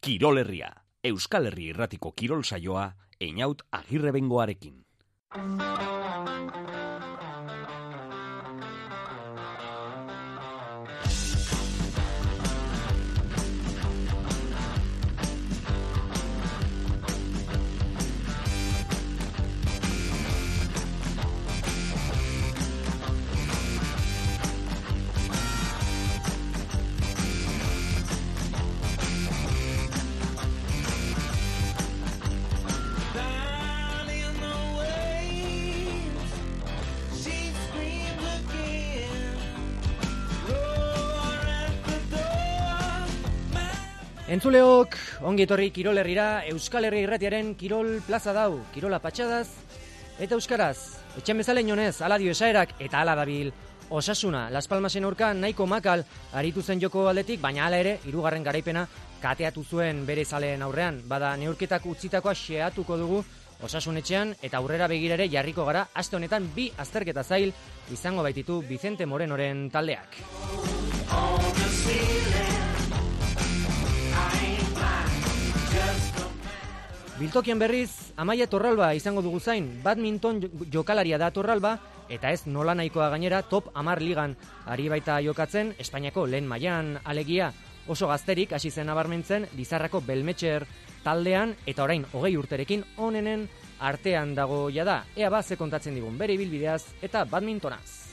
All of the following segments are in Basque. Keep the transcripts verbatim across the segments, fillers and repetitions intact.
Kirol Herria, Euskal Herri Irratiko kirol saioa, Einaut Agirrebengoarekin. Entzuleok, ongi etorri Kirol Herrira, Euskal Herri Irratiaren Kirol Plaza dau, Kirola patxadaz eta euskaraz. Etxen bezala inonez, ala dio esaerak eta ala dabil Osasuna. Las Palmasen aurka nahiko makal aritu zen joko aldetik, baina hala ere, hirugarren garaipena kateatu zuen bere zaleen aurrean. Bada, neurketak utzitakoa xeatuko dugu Osasun etxean eta aurrera begirare jarriko gara, aste honetan bi azterketa zail izango baititu Vicente Morenoren taldeak. Biltokien berriz, Amaia Torralba izango dugu zain, badminton jokalaria da Torralba, eta ez nola nahikoa gainera top hamar ligan ari baita jokatzen, Espainiako lehen mailan alegia oso gazterik hasi zen nabarmentzen Lizarrako Belmetxer taldean, eta orain hogei urterekin onenen artean dago jada. Ea ba, ze kontatzen digun bere ibilbideaz eta badmintonaz.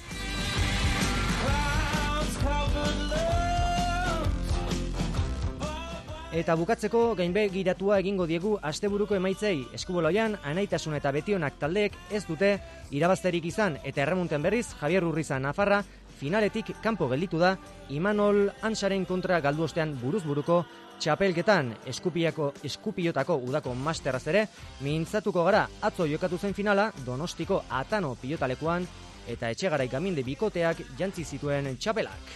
Eta bukatzeko gainbegiratua egingo diegu asteburuko emaitzei. Eskuboloian, Anaitasuna eta Betionak taldeek ez dute irabazterik izan, eta erremunten berriz Javier Urriza Nafarra finaletik kanpo gelditu da Imanol Ansaren kontra galdu ostean buruz-buruko txapelketan. Eskupiako, Eskupiotako udako masteraz ere mintzatuko gara. Atzo jokatu zen finala Donostiko Atano pilotalekuan eta Etxegarai Gaminde bikoteak jantzi zituen txapelak.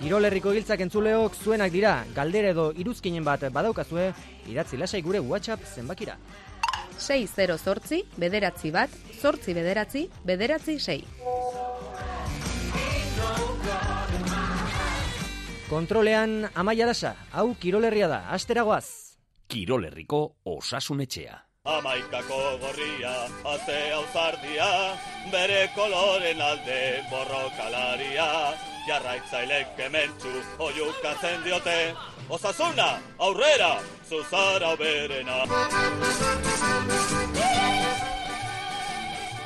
Kirol Herriko giltzak entzuleok zuenak dira, galdera edo iruzkinen bat badaukazue, idatzi lasai gure WhatsApp zenbakira. sei zero zortzi, bederatzi bat, zortzi bederatzi, bederatzi sei. Kontrolean Amaia Lasa, hau Kirol Herria da, asteragoaz. Kirol Herriko Osasun etxea. Amaikako gorria, azte auzardia, bere koloren alde borrokalaria, jarraitzailek kementxu oiukatzen diote, Osasuna, aurrera, zuzara berena.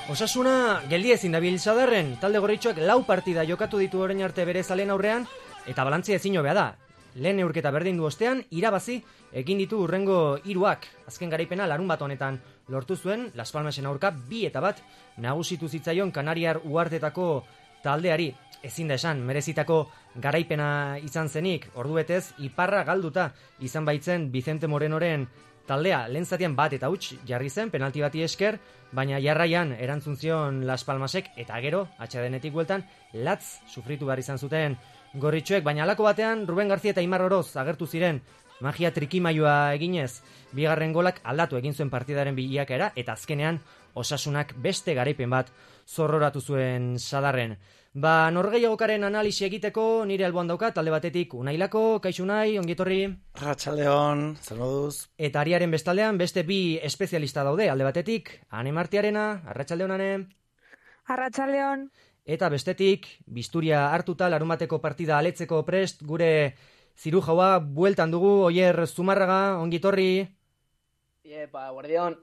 Osasuna geldi ezin dabil sadarren, talde gorritxoak lau partida jokatu ditu orain arte bere zalen aurrean, eta balantzia ezin hobea da. Lehen neurketa berdin du ostean, irabazi egin ditu urrengo hiruak. Azken garaipena larun bat honetan lortu zuen, Las Palmasen aurka bi eta bat nagusitu zitzaion Kanariar uhartetako taldeari. Ezin da esan, merezitako garaipena izan zenik, ordubetez iparra galduta izan baitzen Vicente Morenoren taldea. Lehen zatian bat eta huts jarri zen, penalti bati esker, baina jarraian erantzun zion Las Palmasek, eta gero, atxadenetik bueltan, latz sufritu behar izan zuten gorritxoek, baina alako batean Ruben García eta Imar Oroz agertu ziren magia trikimailua eginez. Bigarren golak aldatu egin zuen partidaren bilakaera, eta azkenean Osasunak beste garaipen bat zorroratu zuen sadarren. Ba, norgehiagokaren analisi egiteko nire alboan daukat, talde batetik Unailako, kaixo Unai, ongietorri. Arratsaldeon, zer moduz? Eta ariaren bestaldean beste bi espezialista daude, alde batetik Ane Martiarena, arratsaldeon Ane. Arratsaldeon. Eta bestetik, bisturia hartuta larunbateko partida aletzeko prest, gure zirujaua bueltan dugu, Oier Zumarraga, ongietorri. Iepa, guardion.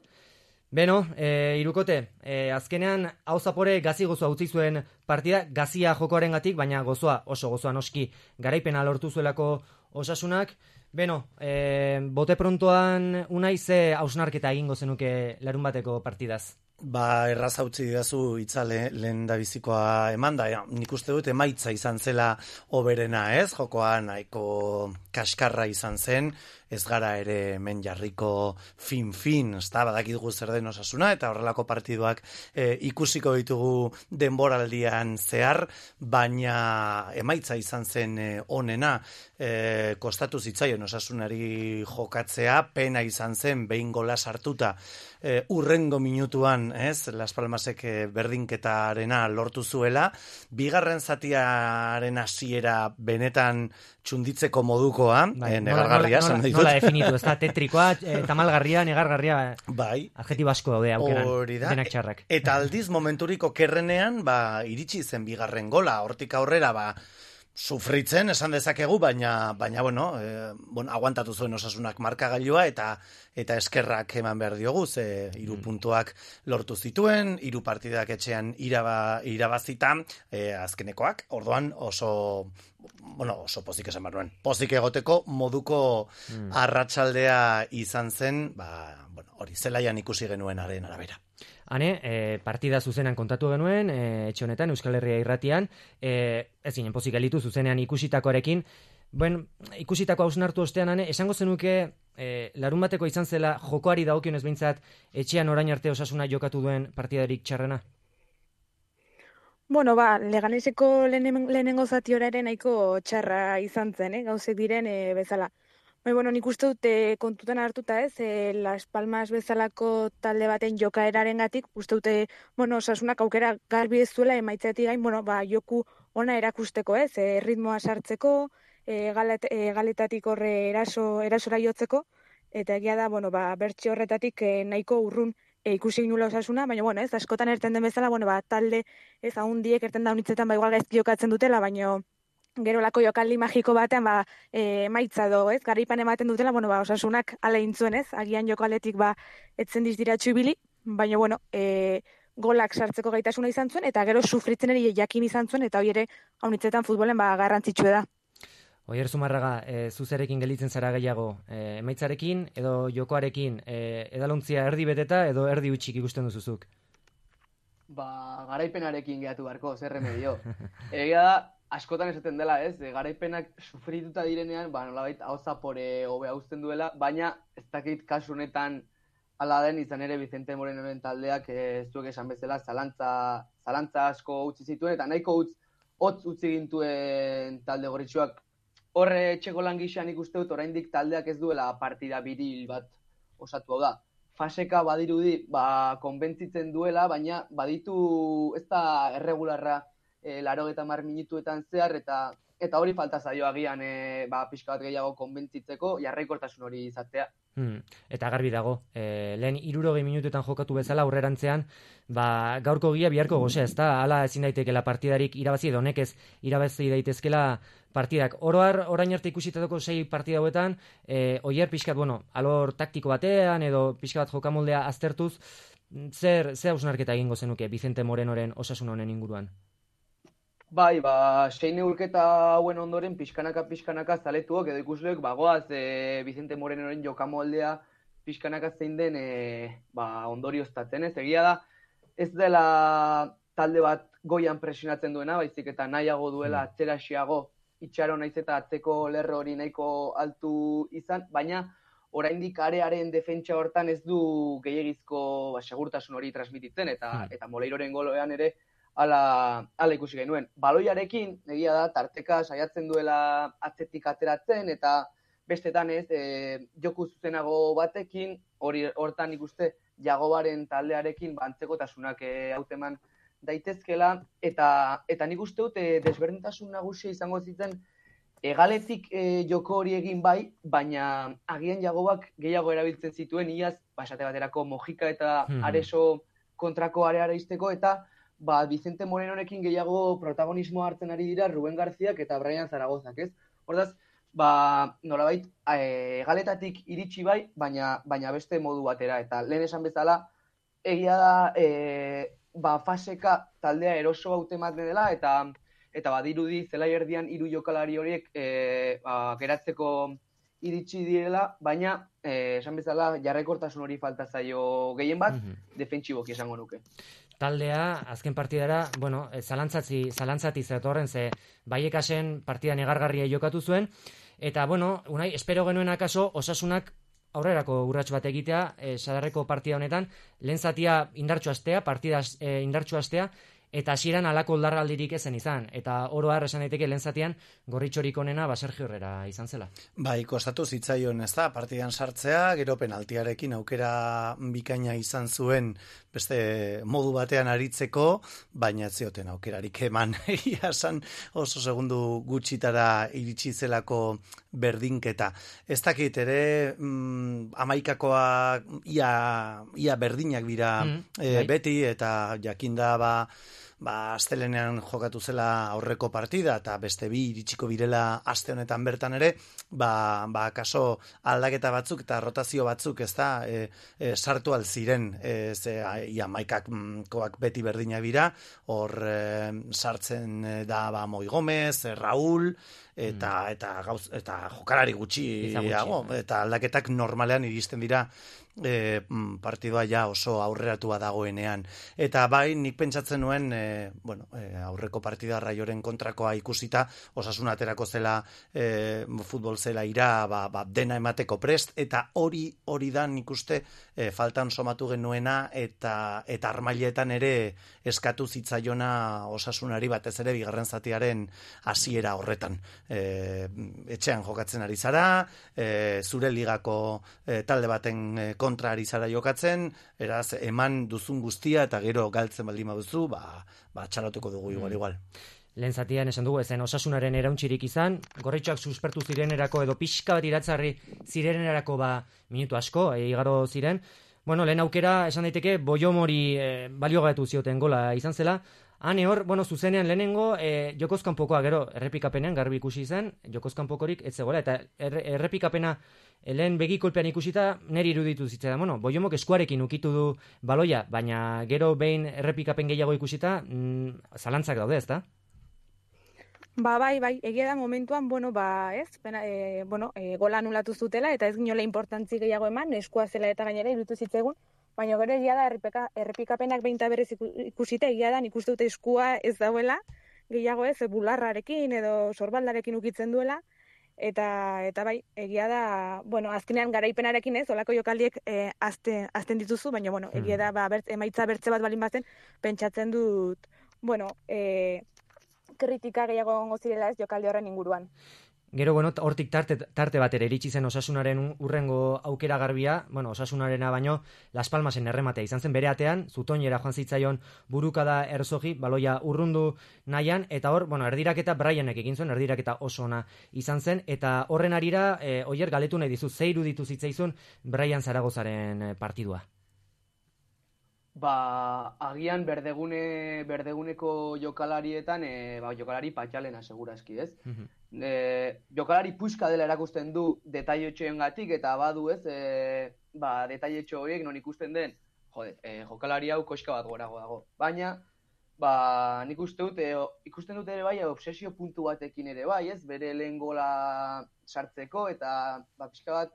Beno, e, irukote, e, azkenean hau zapore gazi gozoa utzi zuen partida, gazia jokoaren gatik, baina gozoa, oso gozoa noski, garaipena lortu zuelako Osasunak. Beno, e, bote prontoan Unai ze hausnarketa egingo zenuke larun bateko partidaz? Ba, erraz hautzi didazu itzale lehen da bizikoa eman da, ja, nik uste dut emaitza izan zela oberena, ez? Jokoa nahiko kaskarra izan zen, ez gara ere men jarriko fin-fin, ez da, badakitugu zer den Osasuna, eta horrelako partiduak e, ikusiko ditugu denboraldian zehar, baina emaitza izan zen e, onena, e, kostatu zitzaion Osasunari jokatzea, pena izan zen behin gola sartuta, e, urrengo minutuan, ez, Las Palmasek e, berdinketarena lortu zuela, bigarren zatiaren hasiera benetan txunditzeko modukoa, bai, e, negargarria, nola, nola, nola, nola definitu, ez da, tetrikoa, e, tamalgarria, negargarria, bai, adjetibo asko daude aukeran, denak txarrak. Eta aldiz momenturiko kerrenean, ba, iritsi zen bigarren gola, hortik aurrera, ba, sufritzen, esan dezakegu, baina, baina bueno, e, bueno, aguantatu zuen Osasunak markagailua eta eta eskerrak eman behar diogu, ze hiru puntuak lortu zituen, hiru partidak etxean iraba, irabazita, e, azkenekoak, orduan oso, bueno, oso pozik esan behar nuen, pozik egoteko moduko mm. arratsaldea izan zen, ba, bueno, hori zelaian ikusi genuenaren arabera. Hane, e, partida zuzenan kontatu genuen, e, etxe honetan, Euskal Herria irratian, e, ez ginen pozik elitu zuzenean ikusitakoarekin, ben, ikusitako hausnartu ostean, hane, esango zenuke, e, larun bateko izan zela jokoari dagokionez behintzat, etxean orain arte Osasuna jokatu duen partidarik txarrena? Bueno, ba, Leganeseko lehenen, lehenengo zati horaren nahiko txarra izan zen, eh? Gauzek diren e, bezala. Bai, bueno, nik uste dute kontutan hartuta ez, e, Las Palmas bezalako talde baten jokaeraren gatik, uste dute, bueno, Osasunak aukera garbi ez zuela emaitzetik gain, bueno, ba, joku ona erakusteko ez, e, ritmoa sartzeko, e, galet, e, galetatik horre eraso, erasora jotzeko, eta egia da, bueno, ba, bertxe horretatik e, nahiko urrun e, ikusi nula Osasuna, baina, bueno, ez, askotan erten den bezala, bueno, ba, talde ez ahundiek erten da unitzetan, ba, igual gaizki jokatzen dutela, baina gero lako jokaldi magiko batean, ba, e, maitza do, ez, garaipan ematen dutela, bueno, ba, Osasunak ale intzuen, ez, agian joko aletik, ba, etzen dizdiratxu ibili, baina, bueno, e, golak sartzeko gaitasuna izan zuen, eta gero sufritzen ere jakin izan zuen, eta hori ere, haunitzetan futbolen, ba, garrantzitsue da. Oier Zumarraga, e, zuzerekin gelitzen zara gehiago, e, emaitzarekin edo jokoarekin, e, edalontzia erdi beteta edo erdi utxik ikusten duzuzuk? Ba, garaipenarekin gehatu barko, zer remedio. Egia da, askotan esaten dela, ez, e, garaipenak sufrituta direnean, ba, nolabait hau zapore hobe hauzten duela, baina ez dakit kasu honetan ala den izan ere Vicente Morenoren taldeak ez zuek esan bezala zalantza, zalantza asko utzi zituen, eta nahiko utz, hotz utzi gintuen talde gorritxoak. Horre etxeko lan gixan ikuste dut, oraindik taldeak ez duela partida biril bat osatu hau da. Faseka badirudi, ba, konbentzitzen duela, baina baditu ez da erregularra E, laro eta mar minutuetan zehar, eta eta hori falta zaio agian e, ba, pixka bat gehiago konbentzitzeko, jarraikortasun hori izatea. Hmm, eta garbi dago, e, lehen hirurogei minutuetan jokatu bezala aurrerantzean, ba, gaurko gia biharko gozea, ez da, hala ezin daitekeela partidarik irabazi edo nekez irabazi daitezkela partidak. Oroar, orain arte ikusitako sei partida hauetan, e, oier pixkat, bueno, alor taktiko batean edo pixka bat jokamoldea aztertuz, zer, zer hausnarketa egingo zenuke Vicente Morenoren Osasun honen inguruan? Bai, ba, sei neurketa hauen ondoren pixkanaka-pixkanaka zaletuok edo ikusleok bagoaz e, Vicente Morenoren jokamoldea pixkanaka zein den e, ba, ondorioztatzen ez. Egia da, ez dela talde bat goian presionatzen duena, baizik eta nahiago duela atzeraxiago itxaro naiz eta atzeko lerro hori nahiko altu izan, baina oraindik arearen defentsa hortan ez du gehiagizko ba, segurtasun hori transmititzen, eta, hmm. eta Moleiroren goloean ere Ala, ala ikusi genuen. Baloiarekin, egia da, tarteka saiatzen duela atzetik ateratzen, eta bestetan ez, e, joku zuzenago batekin, hori hortan ikuste Jagobaren taldearekin bantzekotasunak e, hauteman daitezkela, eta eta nik uste dut e, desberdintasun nagusia izango zitzen egaletik e, joko hori egin bai, baina agian Jagobak gehiago erabiltzen zituen iaz, basate baterako Mojika eta hmm. Areso kontrako areara izteko, eta ba, Vicente Morenorekin gehiago protagonismo hartzen ari dira Ruben Garziak eta Brian Zaragozak, ez? Hordaz, ba, nolabait, e, galetatik iritsi bai, baina, baina beste modu batera. Eta lehen esan bezala, egia da, e, ba, faseka taldea eroso hautematen dela, eta eta badirudi zelai erdian hiru jokalari horiek e, ba, geratzeko iritsi direla, baina e, esan bezala jarraikortasun hori falta zaio gehien bat, mm-hmm. defentsiboki esango nuke. Taldea, azken partidara, bueno, zalantzatzi, zalantzati zetorren ze Baiekasen partida negargarria jokatu zuen, eta, bueno, unai, espero genuen akaso, Osasunak aurrerako urrats bat egitea, e, Sadarreko partida honetan, lehen zatia indartxu astea, partida e, indartxu astea, eta hasieran alako oldarraldirik ezen izan, eta oro har esan daiteke lehen zatean gorritxorik onena ba Sergio Herrera izan zela. Bai, kostatu zitzaion, ez da, partidan sartzea, gero penaltiarekin aukera bikaina izan zuen beste modu batean aritzeko, baina ez zioten aukerarik eman, ia esan oso segundu gutxitara iritsi zelako berdinketa. Ez dakit ere, mm, amaikakoa ia, ia berdinak dira Mm, e, bai. beti, eta jakinda ba, ba astelenean jokatu zela aurreko partida eta beste bi iritsiko birela aste honetan bertan ere, ba, ba kaso aldaketa batzuk eta rotazio batzuk, ez da, e, e, sartu alziren, e, ze ia maikak koak beti berdinak dira, hor e, sartzen e, da ba Moi Gomez, e, Raúl, eta, eta, gauz, eta jokalari gutxiago, eta aldaketak normalean iristen dira E, partidua ja oso aurreratua dagoenean. Eta bai, nik pentsatzen nuen e, bueno, e, aurreko partida Raioren kontrakoa ikusita, Osasun aterako zela e, futbol zela ira ba, ba, dena emateko prest, eta hori hori da nik uste e, faltan somatu genuena, eta eta armailetan ere eskatu zitzaiona Osasunari, batez ere bigarren zatiaren hasiera horretan. E, etxean jokatzen ari zara, e, zure ligako e, talde baten e, kontra ari zara jokatzen, eraz eman duzun guztia eta gero galtzen baldin baduzu, ba, ba txaloteko dugu igual igual. Lehen zatian esan dugu, ezen Osasunaren erauntxirik izan, gorritxoak suspertu zirenerako edo pixka bat iratzarri zirenerako ba minutu asko, e, igaro ziren. Bueno, lehen aukera esan daiteke Boiomori e, baliogatu zioten gola izan zela. Hane hor, bueno, zuzenean lehenengo e, jokozkanpokoa gero errepikapenean garbi ikusi zen, jokozkanpokorik ez zegoela, eta erre, errepikapena lehen begikolpean ikusita neri iruditu zitzaidan. Bueno, Boiomok eskuarekin ukitu du baloia, baina gero behin errepikapen gehiago ikusita, mm, zalantzak daude, ezta? Ba, bai, bai, egia da momentuan, bueno, ba, ez, pena, e, bueno, e, gola anulatu zutela, eta ez ginola importantzi gehiago eman, eskua zela eta gainera iruditu zitzaigun, baina gero egia da errepika, errepikapenak behinta berez ikusita, egia da, nik uste dute eskua ez dauela, gehiago ez, bularrarekin edo sorbaldarekin ukitzen duela, eta eta bai, egia da, bueno, azkenean garaipenarekin ez, olako jokaldiek e, azte, azten dituzu, baina, bueno, egia da, ba, bertz, emaitza bertze bat balin bazen, pentsatzen dut, bueno, e, kritika gehiago egongo zirela ez jokaldi horren inguruan. Gero, bueno, hortik tarte, tarte bat ere iritsi zen Osasunaren urrengo aukera garbia, bueno, Osasunarena baino Las Palmasen errematea izan zen bere atean, zutoinera joan zitzaion burukada Erzogi, baloia urrundu nahian, eta hor, bueno, erdiraketa Brianek egin zuen, erdiraketa oso ona izan zen, eta horren arira, e, oier galetu nahi dizu, ze iruditu zitzaizun Brian Zaragozaren partidua? Ba, agian berdegune, berdeguneko jokalarietan, e, ba, jokalari patxalena segurazki, ez? Mhm. E, jokalari puska dela erakusten du detailetxoengatik eta badu ez, e, ba, detailetxo horiek non ikusten den, jode, e, jokalari hau koska bat gorago dago. Baina, ba, nik uste dut, e, ikusten dut ere bai, obsesio puntu batekin ere bai, ez? Bere lehen gola sartzeko eta, ba, pixka bat,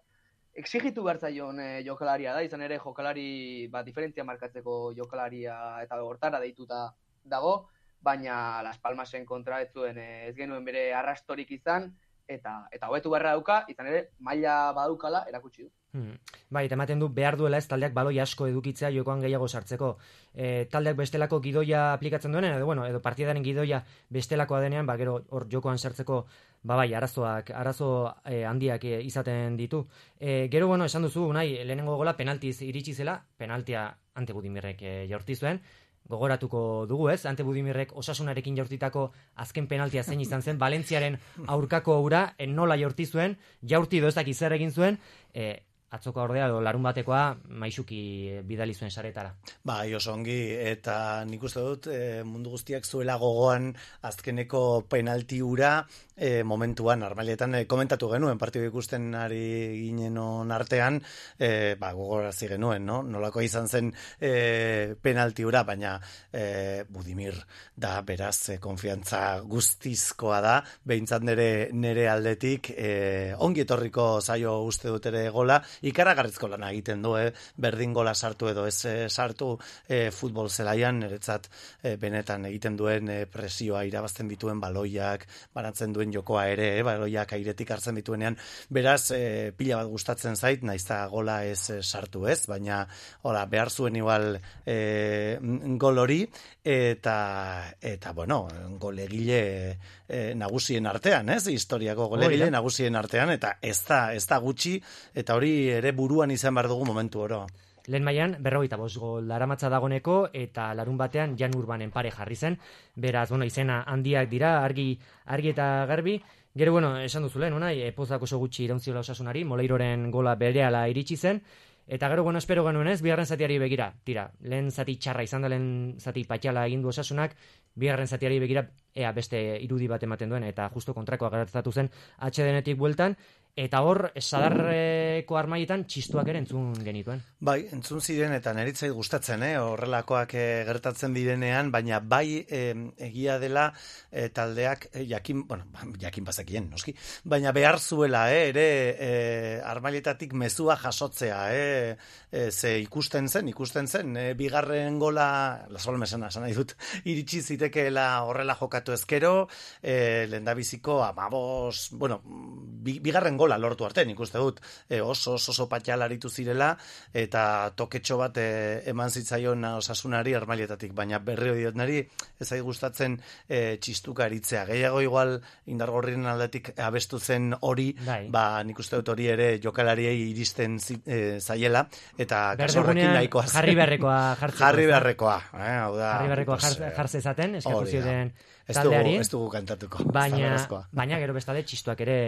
exigitu behar zaion e, jokalaria da, izan ere jokalari, ba, diferentzia markatzeko jokalaria eta hortara deituta dago, baina Las Palmasen kontra ez zuen ez genuen bere arrastorik izan, eta eta hobetu beharra dauka, izan ere maila badaukala erakutsi du. Hmm. Bai, eta ematen du behar duela ez taldeak baloi asko edukitzea jokoan gehiago sartzeko. E, taldeak bestelako gidoia aplikatzen duenean, edo, bueno, edo partidaren gidoia bestelakoa denean, ba, gero hor jokoan sartzeko, ba, bai, arazoak, arazo e, handiak e, izaten ditu. E, gero, bueno, esan duzu, nahi, lehenengo gola penaltiz iritsi zela, penaltia Ante Budimirrek e, jaurti zuen, gogoratuko dugu ez, Ante Budimirrek Osasunarekin jaurtitako azken penaltia zein izan zen, Valentziaren aurkako ura, en nola jaurti zuen, jaurti dozak izer egin zuen, e, atzoko ordea edo larun batekoa maisuki bidali zuen saretara. Bai, oso ongi, eta nik uste dut e, mundu guztiak zuela gogoan azkeneko penalti ura e, momentuan, normaletan e, komentatu genuen, partidu ikusten ari ginen artean, e, ba, gogorazi genuen, no? Nolako izan zen e, penalti ura, baina e, Budimir da, beraz, e, konfiantza guztizkoa da, behintzat nere, nere aldetik, e, ongi etorriko zaio uste dut ere gola, ikaragarrizko lana egiten du, eh? Berdin gola sartu edo ez eh, sartu eh, futbol zelaian, niretzat eh, benetan egiten duen eh, presioa irabazten dituen baloiak, banatzen duen jokoa ere, eh? Baloiak airetik hartzen dituenean, beraz, eh, pila bat gustatzen zait, naizta gola ez eh, sartu ez, baina hola, behar zuen igual eh, gol hori, eta, eta bueno, golegile eh, nagusien artean, ez? Historiako golegile oh, nagusien artean, eta ez da, ez da gutxi, eta hori ere buruan izan behar dugu momentu oro. Lehen mailan berrogeita bost gol daramatza dagoneko eta larun batean Jan Urbanen pare jarri zen. Beraz, bueno, izena handiak dira, argi argi eta garbi. Gero, bueno, esan duzu lehen, unai, epozak oso gutxi irauntziola Osasunari, Moleiroren gola berehala iritsi zen. Eta gero, bueno, espero genuen ez, bigarren zatiari begira. Tira, lehen zati txarra izan da, lehen zati patxala egin du Osasunak, bigarren zatiari begira, ea beste irudi bat ematen duen, eta justo kontrakoa gertatu zen atse denetik bueltan, eta hor, sadarreko armaietan txistuak ere entzun genituen. Bai, entzun ziren, eta neritzait gustatzen, eh? Horrelakoak eh, gertatzen direnean, baina bai eh, egia dela eh, taldeak, eh, jakin, bueno, jakin bazekien, noski, baina behar zuela, eh, ere eh, armailetatik mezua jasotzea, eh, eh, ze ikusten zen, ikusten zen, eh, bigarren gola, lasol mesena, esan nahi dut, iritsi zitekeela horrela jokatu ezkero, eh, lehendabiziko amabos, bueno, bi, bigarren gola lortu arte, nik uste dut, e, oso oso, oso patxal aritu zirela, eta toketxo bat e, eman zitzaion Osasunari armailetatik, baina berri diot nari, ez ari gustatzen e, txistuka aritzea. Gehiago igual indargorrien aldetik abestu zen hori, Dai. ba nik uste dut hori ere jokalariei iristen zi, e, zaiela, eta kasorrekin nahikoa zen. Jarri beharrekoa jartzeko. Jarri beharrekoa. Eh, hau da, jarri beharrekoa pues, jartze zaten, eskatu ziren ez taldeari. Ez dugu kantatuko. Baina, baina gero bestale txistuak ere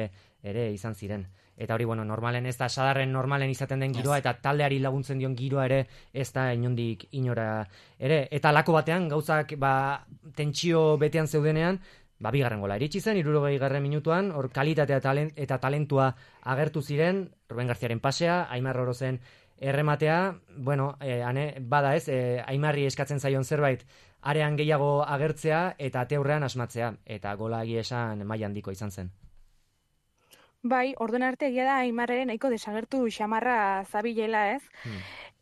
ere izan ziren. Eta hori, bueno, normalen ez da, sadarren normalen izaten den giroa, eta taldeari laguntzen dion giroa ere, ez da inondik inora ere. Eta lako batean, gauzak, ba, tentsio betean zeudenean, ba, bigarren gola iritsi zen, hirurogei garren minutuan, hor kalitatea talent, eta talentua agertu ziren, Ruben Garziaren pasea, Aimar Orozen errematea, bueno, eh, ane, bada ez, eh, Aimarri eskatzen zaion zerbait, arean gehiago agertzea, eta ateurrean asmatzea, eta gola egia esan maila handiko izan zen. Bai, orduan arte egia da Aimarreren nahiko desagertu xamarra zabilela, ez? Hmm.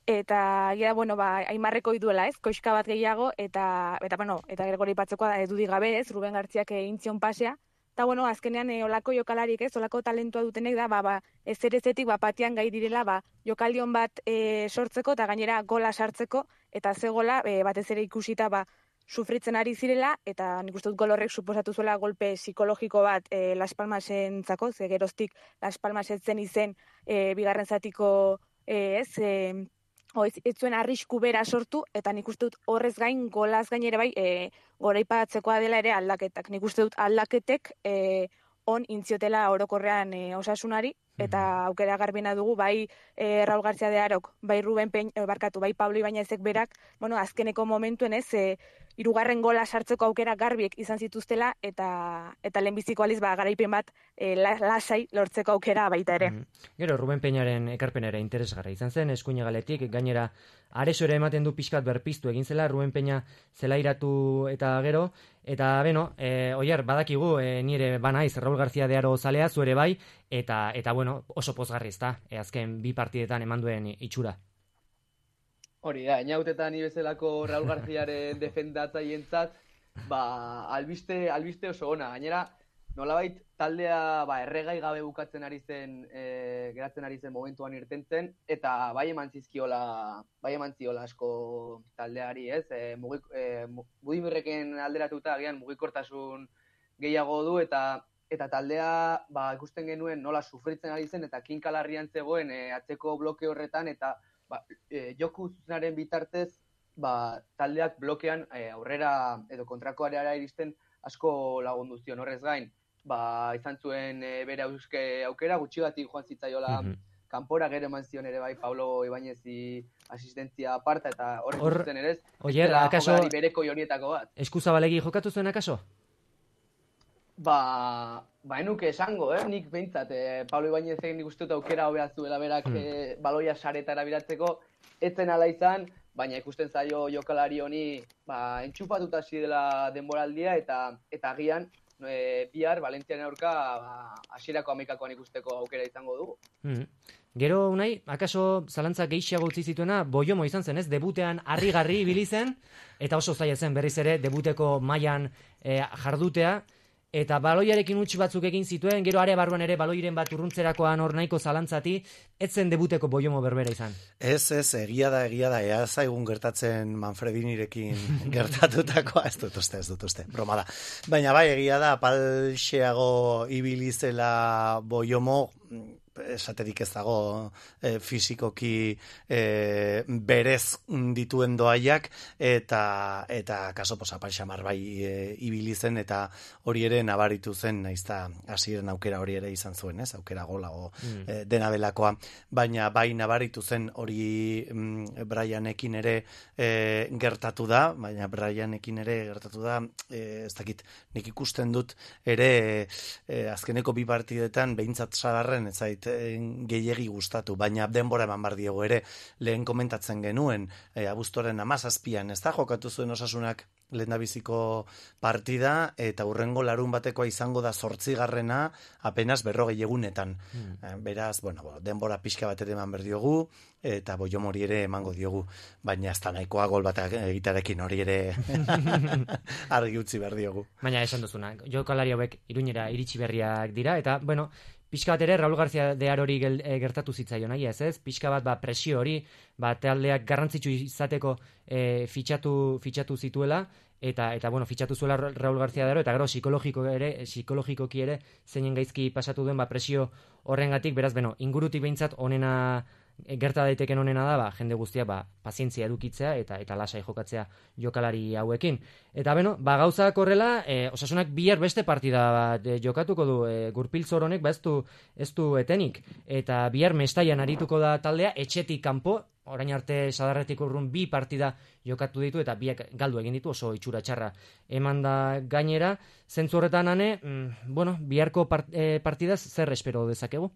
Eta egia da, bueno, ba, Aimarreko iduela, ez? Koixka bat gehiago, eta, eta bueno, eta Gregori Patzokoa da edudik gabe, ez? Ruben Gartziak egin zion pasea. Eta, bueno, azkenean e, olako jokalarik, ez? Olako talentua dutenek da, ba, ba, ez erezetik, ba, patian gai direla, ba, jokaldion bat e, sortzeko, eta gainera gola sartzeko, eta ze gola, e, batez ere ikusita, ba, sufritzen ari zirela, eta nik uste dut gol horrek suposatu zuela golpe psikologiko bat e, Las Palmasen zako, ze geroztik Las Palmasen zen izen e, bigarren zatiko e, ez, e, o, ez, ez zuen arrisku bera sortu, eta nik uste dut horrez gain, golaz gain ere bai, e, goraipatzekoa dela ere aldaketak. Nik uste dut aldaketek e, on intziotela orokorrean e, Osasunari, eta aukera garbina dugu, bai e, Raul García de Arok, bai Ruben Peñ, e, barkatu, bai Pablo Ibañezek berak, bueno, azkeneko momentuen ez, e, hirugarren gola sartzeko aukera garbiek izan zituztela, eta eta lehenbiziko aliz ba, garaipen bat e, lasai lortzeko aukera baita ere. Mm. Gero, Ruben Peñaren ekarpenera interesgarra izan zen, eskuina galetik, gainera areso ere ematen du pixkat berpiztu egin zela, Ruben Peña zelairatu eta gero, eta beno, e, oier, badakigu, e, nire banaiz, Raul García de Aro zalea, zuere bai, eta, eta bueno, oso pozgarri ez da, e, azken bi partidetan eman duen itxura. Hori da, inautetan ibezelako Raul Garziaren defendatzaientzat, ba, albiste, albiste oso ona. Gainera, nolabait taldea ba, erregai gabe bukatzen ari zen, e, geratzen ari zen momentuan irtentzen, eta bai eman zizkiola, bai eman ziola asko taldeari, ez? E, mugik, e, Budimirreken alderatuta agian mugikortasun gehiago du, eta eta taldea ba, ikusten genuen nola sufritzen ari zen, eta kinkalarrian zegoen e, atzeko bloke horretan, eta ba, e, joku zuzenaren bitartez, ba, taldeak blokean e, aurrera edo kontrako areara iristen asko lagundu zion horrez gain. Ba, izan zuen e, bere auske aukera, gutxigatik joan zitzaiola mm-hmm. kanpora, gero eman zion ere bai Pablo Ibañezi asistentzia aparta, eta horrek Or, zuten ere ez, oier, akaso, bereko jonietako bat. Eskuzabalegi jokatu zuen akaso? Ba, ba enuke esango, eh? Nik behintzat, eh, Pablo Ibañezek nik uste dut aukera hobea zuela berak mm. eh, baloia saretara biratzeko, etzen ala izan, baina ikusten zaio jokalari honi ba, entxupatuta hasi dela denboraldia, eta eta agian e, bihar Valentziaren aurka ba, hasierako hamaikakoan ikusteko aukera izango dugu. Mm. Gero unai, akaso zalantza gehiago utzi zituena Boiomo izan zen, ez? Debutean harrigarri ibili zen, eta oso zaila zen berriz ere debuteko mailan e, jardutea, eta baloiarekin utzi batzuk egin zituen, gero are barruan ere baloiren bat urruntzerakoan hor nahiko zalantzati, ez zen debuteko Boiomo berbera izan. Ez, ez, egia da, egia da, ea zaigun gertatzen Manfredinirekin gertatutakoa, ez dut uste, ez dut uste, broma da. Baina bai, egia da, apalxeago ibilizela Boiomo, esaterik ez dago e, fizikoki e, berez dituen doaiak eta eta kaso posa palxamar bai e, ibili zen eta hori ere nabaritu zen naizta hasieren aukera hori ere izan zuen, ez? Aukera golago mm. e, dena delakoa, baina bai nabaritu zen hori mm, Brianekin ere e, gertatu da, baina Brianekin ere gertatu da, e, ez dakit, nik ikusten dut ere e, azkeneko bi partidetan behintzat sadarren ez zait gehiegi gustatu, baina denbora eman bar diego ere, lehen komentatzen genuen, e, abuztuaren hamazazpian, ez da, jokatu zuen Osasunak lehendabiziko partida, eta hurrengo larun batekoa izango da zortzigarrena apenas berrogei egunetan. Mm. Beraz, bueno, denbora pixka bat ere eman berdiogu, eta Boiomori ere emango diogu, baina ez da nahikoa gol bat egitarekin hori ere argi utzi berdiogu. Baina esan duzuna, jokalari hauek Iruñera iritsi berriak dira, eta, bueno, pixka bat ere, Raul García de Arori gertatu zitzaion, nahi ez ez? Pixka bat, ba, presio hori, ba, taldeak garrantzitsu izateko e, fitxatu, fitxatu zituela, eta, eta bueno, fitxatu zuela Raul García de Aro, eta gero psikologiko ere, psikologikoki ere, zeinen gaizki pasatu duen, ba, presio horrengatik, beraz, beno, ingurutik behintzat onena gerta daiteken honena da, ba, jende guztia ba, pazientzia edukitzea eta eta lasai jokatzea jokalari hauekin. Eta beno, ba, gauzak horrela, e, Osasunak bihar beste partida bat e, jokatuko du, e, Gurpiltzor honek ba, ez du, ez du etenik. Eta bihar Mestaian arituko da taldea, etxetik kanpo, orain arte sadarretik urrun bi partida jokatu ditu eta biak galdu egin ditu, oso itxura txarra eman da gainera. Zentzu horretan ane, mm, bueno, biharko part, e, partidaz zer espero dezakegu?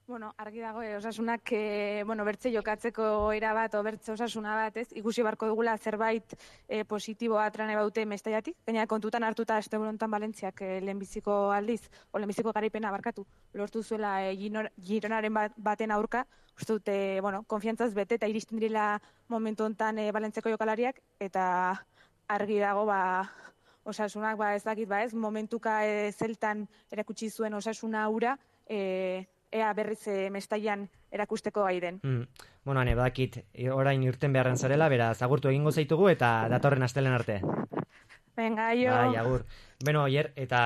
Bueno, argi dago, eh, Osasunak eh, bueno, bertze jokatzeko era bat, o bertze Osasuna bat, ez? Ikusi barko dugula zerbait eh, positiboa atrane baute Mestaiatik, baina kontutan hartuta Esteburontan Valentziak eh, lehenbiziko aldiz, o lehenbiziko garaipena barkatu, lortu zuela eh, Gironaren bat, baten aurka, uste dute, bueno, konfiantzaz bete eta iristen direla momentu hontan eh, Valentziako jokalariak, eta argi dago, ba, Osasunak, ba, ez dakit, ba, ez, momentuka eh, zeltan erakutsi zuen Osasuna ura, eh, ea berriz e, Mestaian erakusteko gai den. Mm. Bueno, hane, badakit, orain irten beharren zarela, beraz, agurtu egingo zaitugu eta datorren astelen arte. Venga, jo. Bai, agur. Beno, oier, eta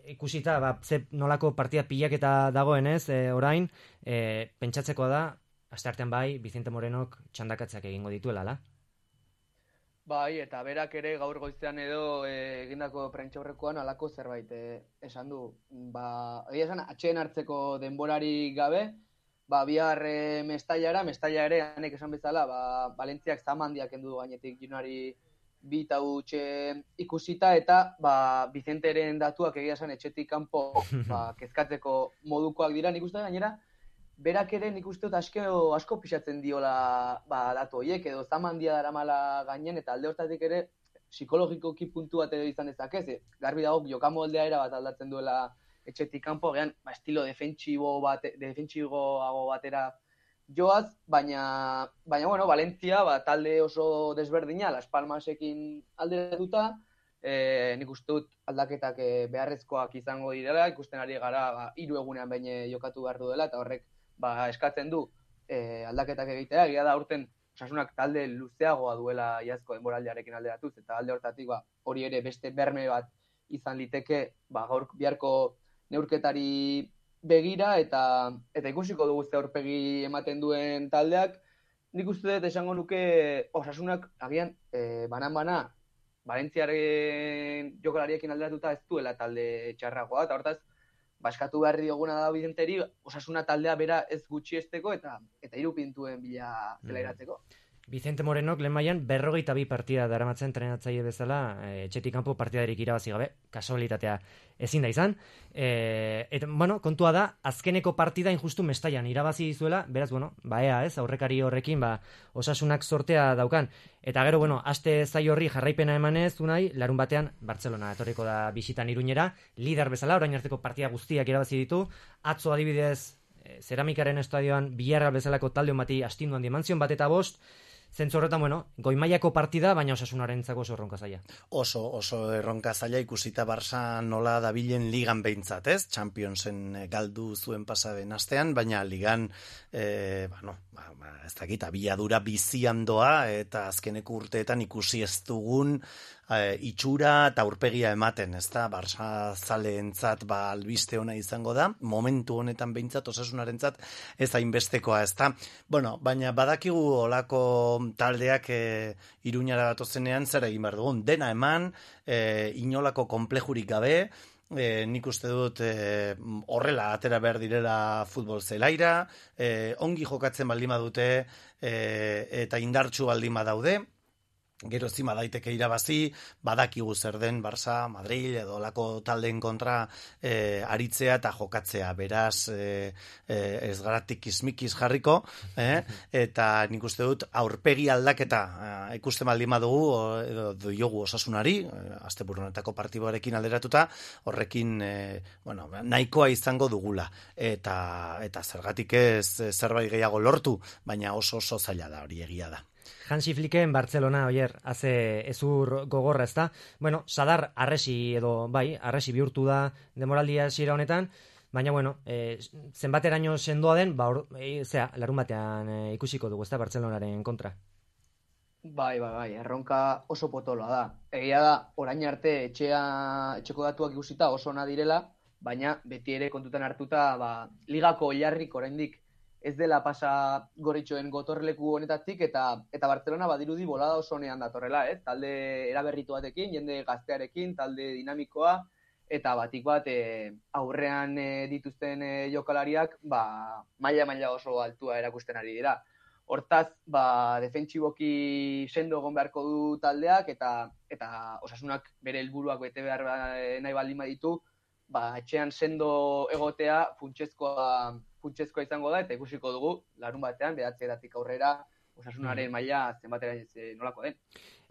ikusita, ba, ze nolako partida pilaketa dagoenez, e, orain, e, pentsatzeko da, asteartean bai, Vicente Morenok txandakatzak egingo dituela, la? Bai, eta berak ere gaur goizean edo e, egindako prentxaurrekoan halako zerbait e, esan du. Ba, egia esan, atxeen hartzeko denborari gabe, ba, bihar e, Mestaiara, Mestaia ere, hanek esan bezala, ba, Valentziak zamandiak endu gainetik Junari bi tautxe ikusita, eta ba, Vicenteren datuak egia esan etxetik kanpo ba, kezkatzeko modukoak dira, nik uste gainera, berak ere nik uste dut asko, asko pixatzen diola ba, datu horiek, edo zamandia daramala gainen, eta alde hortatik ere psikologikoki puntu bat edo izan dezakez, e, garbi dago jokamoldea era bat aldatzen duela etxetik kanpo, gehan ba, estilo defentsibo bat, defentsiboago batera joaz, baina, baina bueno, Valentzia ba, talde oso desberdina, Las Palmasekin alderatuta, e, nik uste dut aldaketak e, beharrezkoak izango direla, ikusten ari gara ba, hiru egunean baina jokatu behar duela, eta horrek ba, eskatzen du e, aldaketak egitea, egia da urten Osasunak talde luzeagoa duela iazko denboraldiarekin alderatuz, eta alde hortatik ba, hori ere beste berme bat izan liteke ba, gaur biharko neurketari begira, eta eta ikusiko dugu ze aurpegi ematen duen taldeak. Nik uste dut esango nuke Osasunak agian e, banan-bana Valentziaren jokalariekin alderatuta ez duela talde txarragoa, eta hortaz baskatu behar dioguna da Vicenteri, Osasuna taldea bera ez gutxiesteko eta eta hiru pintuen bila zelairatzeko. Vicente Morenok lehen mailan berrogeita bi partida daramatzen entrenatzaile bezala, e, etxetik kanpo partidarik irabazi gabe, kasualitatea ezin da izan. E, eta, bueno, kontua da, azkeneko partida injustu Mestaian irabazi dizuela, beraz, bueno, ba ea, ez, aurrekari horrekin, ba, Osasunak sortea daukan. Eta gero, bueno, aste zai horri jarraipena emanez, unai, larun batean, Bartzelona etorriko da bisitan Iruñera, lider bezala, orain arteko partida guztiak irabazi ditu, atzo adibidez, Zeramikaren estadioan Villarreal bezalako talde bati astinduan dimentsión bat eta bost, zentzu horretan, bueno, goimaiako partida, baina Osasunarentzako oso erronka zaila. Oso, oso erronka zaila ikusita Barça nola dabilen ligan behintzat, ez? Championsen galdu zuen pasaden astean, baina ligan, e, bueno, ba, ba, ez dakit, abiadura bizian doa, eta azkeneko urteetan ikusi ez dugun e, itxura eta aurpegia ematen, ez da? Barça zaleentzat ba, albiste ona izango da, momentu honetan behintzat, Osasunarentzat ez hainbestekoa, ez da? Bueno, baina badakigu olako taldeak e, Iruñara batozenean zer egin behar dugun, dena eman, e, inolako konplejurik gabe, e, nik uste dut e, horrela atera behar direla futbol zelaira, e, ongi jokatzen baldin badute e, eta indartsu baldin badaude, gero zima daiteke irabazi, badakigu zer den Barça, Madrid edo lako taldeen kontra e, aritzea eta jokatzea, beraz e, e, ez garatik ismikiz jarriko, eh? Eta nik uste dut aurpegi aldaketa e, ikusten baldin badugu edo diogu Osasunari, e, asteburu honetako partiboarekin alderatuta, horrekin e, bueno, nahikoa izango dugula, eta, eta zergatik ez zerbait gehiago lortu, baina oso oso zaila da, hori egia da. Hansi Flicken Barcelona, oier, haze ezur gogorra, ezta? Bueno, Sadar arresi edo, bai, arresi bihurtu da demoraldia hasiera honetan, baina, bueno, e, zenbateraino sendoa den, ba, or, e, zera, larun batean e, ikusiko dugu, ezta, Barcelonaren kontra. Bai, bai, bai, erronka oso potoloa da. Egia da, orain arte etxea, etxeko datuak ikusita oso ona direla, baina beti ere kontutan hartuta, ba, ligako oilarrik oraindik ez dela pasa Gorritxoen gotorleku honetatik, eta eta Barcelona badirudi bolada oso honean datorrela, ez? Talde eraberritu batekin, jende gaztearekin, talde dinamikoa, eta batik bat e, aurrean e, dituzten e, jokalariak, ba, maila-maila oso altua erakusten ari dira. Hortaz, ba, defentsiboki sendo egon beharko du taldeak, eta eta Osasunak bere helburuak bete behar nahi baldin baditu, ba, etxean sendo egotea funtsezkoa funtsezkoa izango da, eta ikusiko dugu, larun batean, bederatzietatik aurrera, Osasunaren maila zenbatera nolako den.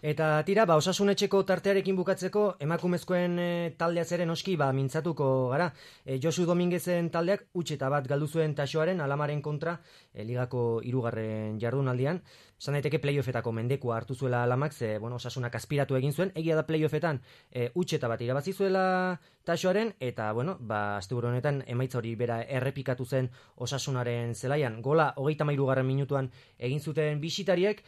Eta tira, ba, Osasun etxeko tartearekin bukatzeko, emakumezkoen e, taldeaz ere noski, ba, mintzatuko gara. E, Josu Dominguezen taldeak utxeta bat galdu zuen Taxoaren Alamaren kontra, e, ligako hirugarren jardunaldian. Esan daiteke playoffetako mendekua hartu zuela Alamak, ze, bueno, Osasunak aspiratu egin zuen, egia da playoffetan e, utxeta bat irabazi zuela Taxoaren, eta, bueno, ba, asteburu honetan emaitza hori bera errepikatu zen Osasunaren zelaian. Gola, hogeita hamairugarren minutuan egin zuten bisitariek,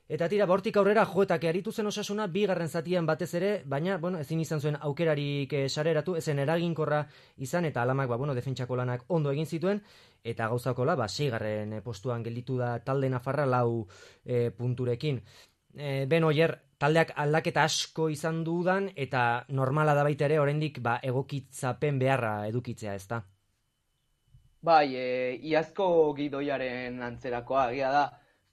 eta tira, bortik aurrera joetak aritu zen Osasuna, bigarren zatian batez ere, baina, bueno, ezin izan zuen aukerarik e, sareratu, ezen eraginkorra izan, eta Alamak, ba, bueno, defentsako lanak ondo egin zituen, eta gauzakola, ba, seigarren postuan gelditu da talde nafarra lau e, punturekin. E, ben oier, taldeak aldaketa asko izan dudan, eta normala da baita ere, oraindik ba, egokitzapen beharra edukitzea, ezta? Bai, e, iazko gidoiaren antzerakoa, egia da,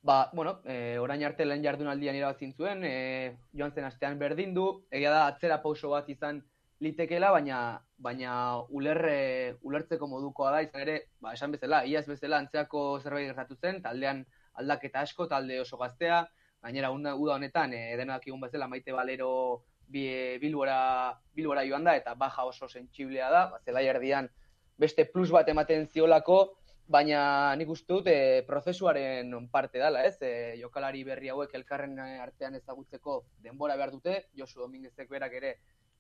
ba, bueno, e, orain arte lehen jardunaldian irabazin zuen, e, joan zen astean berdin du, egia da atzera pauso bat izan litekela, baina baina ulerre, ulertzeko modukoa da, izan ere, ba, esan bezala, iaz bezala antzeako zerbait gertatu zen, taldean aldaketa asko, talde oso gaztea, gainera uda honetan, e, denak egun bezala Maite Balero bi, Bilbora, Bilbora joan da, eta baja oso sentsiblea da, ba, zelai erdian beste plus bat ematen ziolako, baina nik uste dut e, prozesuaren parte dela, ez? E, jokalari berri hauek elkarren artean ezagutzeko denbora behar dute, Josu Dominguezek berak ere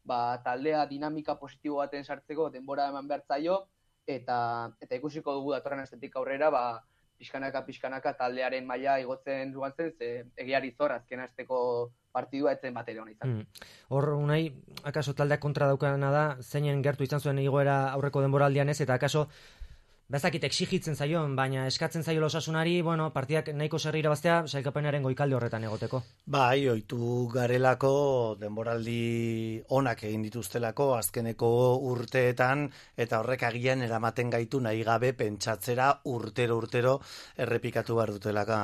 ba, taldea dinamika positibo baten sartzeko denbora eman behar zaio, eta, eta ikusiko dugu datorren astetik aurrera, ba, pixkanaka, pixkanaka taldearen maila igotzen duan zen, ze egiari zor azken asteko partidua etzen bat ere hona izan. Hmm. Hor, unai, akaso taldeak kontra daukana da, zeinen gertu izan zuen igoera aurreko denboraldian ez, eta akaso bezakit exigitzen zaion, baina eskatzen zaio Osasunari, bueno, partidak nahiko serri irabaztea, sailkapenaren goikalde horretan egoteko. Bai, ohitu garelako denboraldi onak egin dituztelako azkeneko urteetan, eta horrek agian eramaten gaitu nahi gabe pentsatzera urtero urtero errepikatu behar dutelaka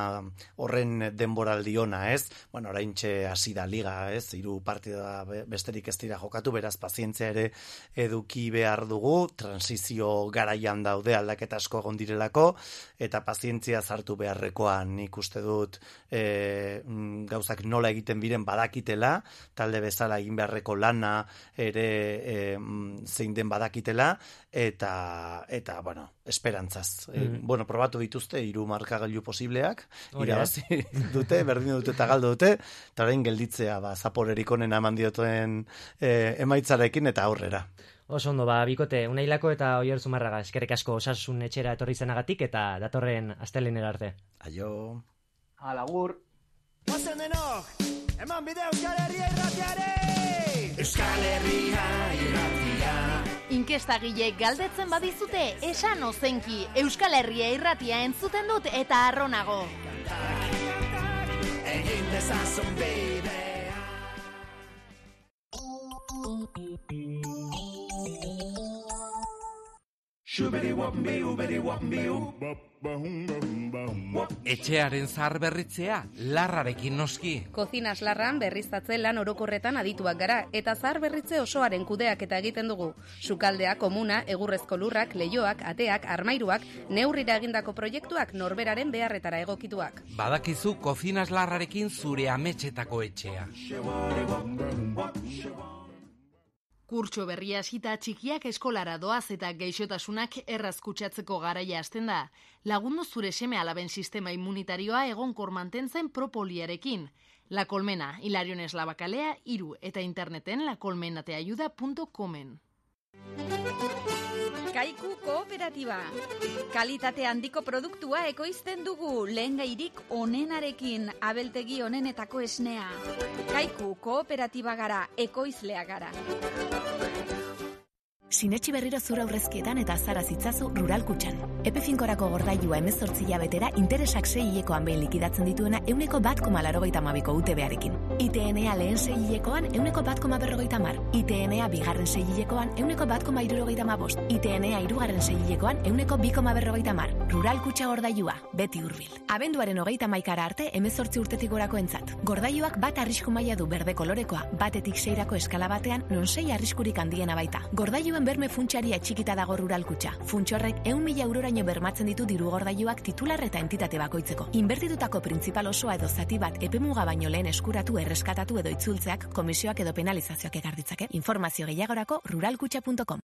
horren denboraldi ona, ez? Bueno, oraintxe hasi da liga, ez? Hiru partida besterik ez dira jokatu, beraz pazientzia ere eduki behar dugu, transizio garaian daude aldaketa asko egon direlako, eta pazientzia zartu beharrekoan nik uste dut e, gauzak nola egiten biren badakitela, talde bezala egin beharreko lana ere e, zein den badakitela, eta, eta bueno, esperantzaz. Mm. E, bueno, probatu dituzte, hiru markagailu posibleak, irabazi dute, berdin dute eta galdu dute, eta orain gelditzea, ba, zaporerik onena eman diotuen e, emaitzarekin eta aurrera. Oso ondo, ba, bikote, Unailako eta Oier Zumarraga, eskerrik asko Osasun etxera etorri zenagatik eta datorren astelehenera arte. Aio. Alagur. Pasen denok, eman bide Euskal Herria irratiare! Euskal Herria irratia. Inkestagileek galdetzen badizute, esan ozenki, Euskal Herria irratia entzuten dut eta arronago. Egin dezazun bidea. Etxearen zahar berritzea, larrarekin noski. Kozinas larran berriztatze lan orokorretan adituak gara, eta zahar berritze osoaren kudeak eta egiten dugu. Sukaldea, komuna, egurrezko lurrak, leioak, ateak, armairuak, neurrira egindako proiektuak norberaren beharretara egokituak. Badakizu kozinas larrarekin zure ametxetako etxea. Kurtso berria hasita txikiak eskolara doaz eta gaixotasunak erraz kutsatzeko garaia hasten da. Lagundu zure seme alaben sistema immunitarioa egonkor mantentzen propoliarekin. La Colmena, Hilarion Eslabakalea, iru eta interneten lacolmenateayuda punto comen. Kaiku kooperatiba. Kalitate handiko produktua ekoizten dugu, lehengairik onenarekin, abeltegi onenetako esnea. Kaiku kooperatiba gara, ekoizlea gara. Sinetxi berriro zura aurrezkietan eta azara zitzazu Rural Kutxan. Epe finkorako gordailua hemezortzi hilabetera interesak sei hilekoan behin likidatzen dituena euneko bat koma laurogeita hamabiko U T B-arekin. I T N A lehen sei hilekoan euneko bat koma berrogeita hamar. I T N A bigarren sei hilekoan euneko bat koma hirurogeita hamabost. I T N A hirugarren sei hilekoan euneko bi koma berrogeita hamar. Rural Kutxa gordailua, beti hurbil. Abenduaren hogeita hamaikara arte hemezortzi urtetik gorako entzat. Gordailuak bat arrisku maila du berde kolorekoa, batetik seirako eskala batean non sei arriskurik handiena baita. Gordailuen berme funtsaria txikita dago Rural Kutxa. Funtsorrek ehun mila euroraino bermatzen ditu diru gordailuak titular eta entitate bakoitzeko. Inbertitutako printzipal osoa edo zati bat epemuga baino lehen eskuratu, erreskatatu edo itzultzeak komisioak edo penalizazioak ekar ditzake. Informazio gehiagorako ruralkutxa punto com.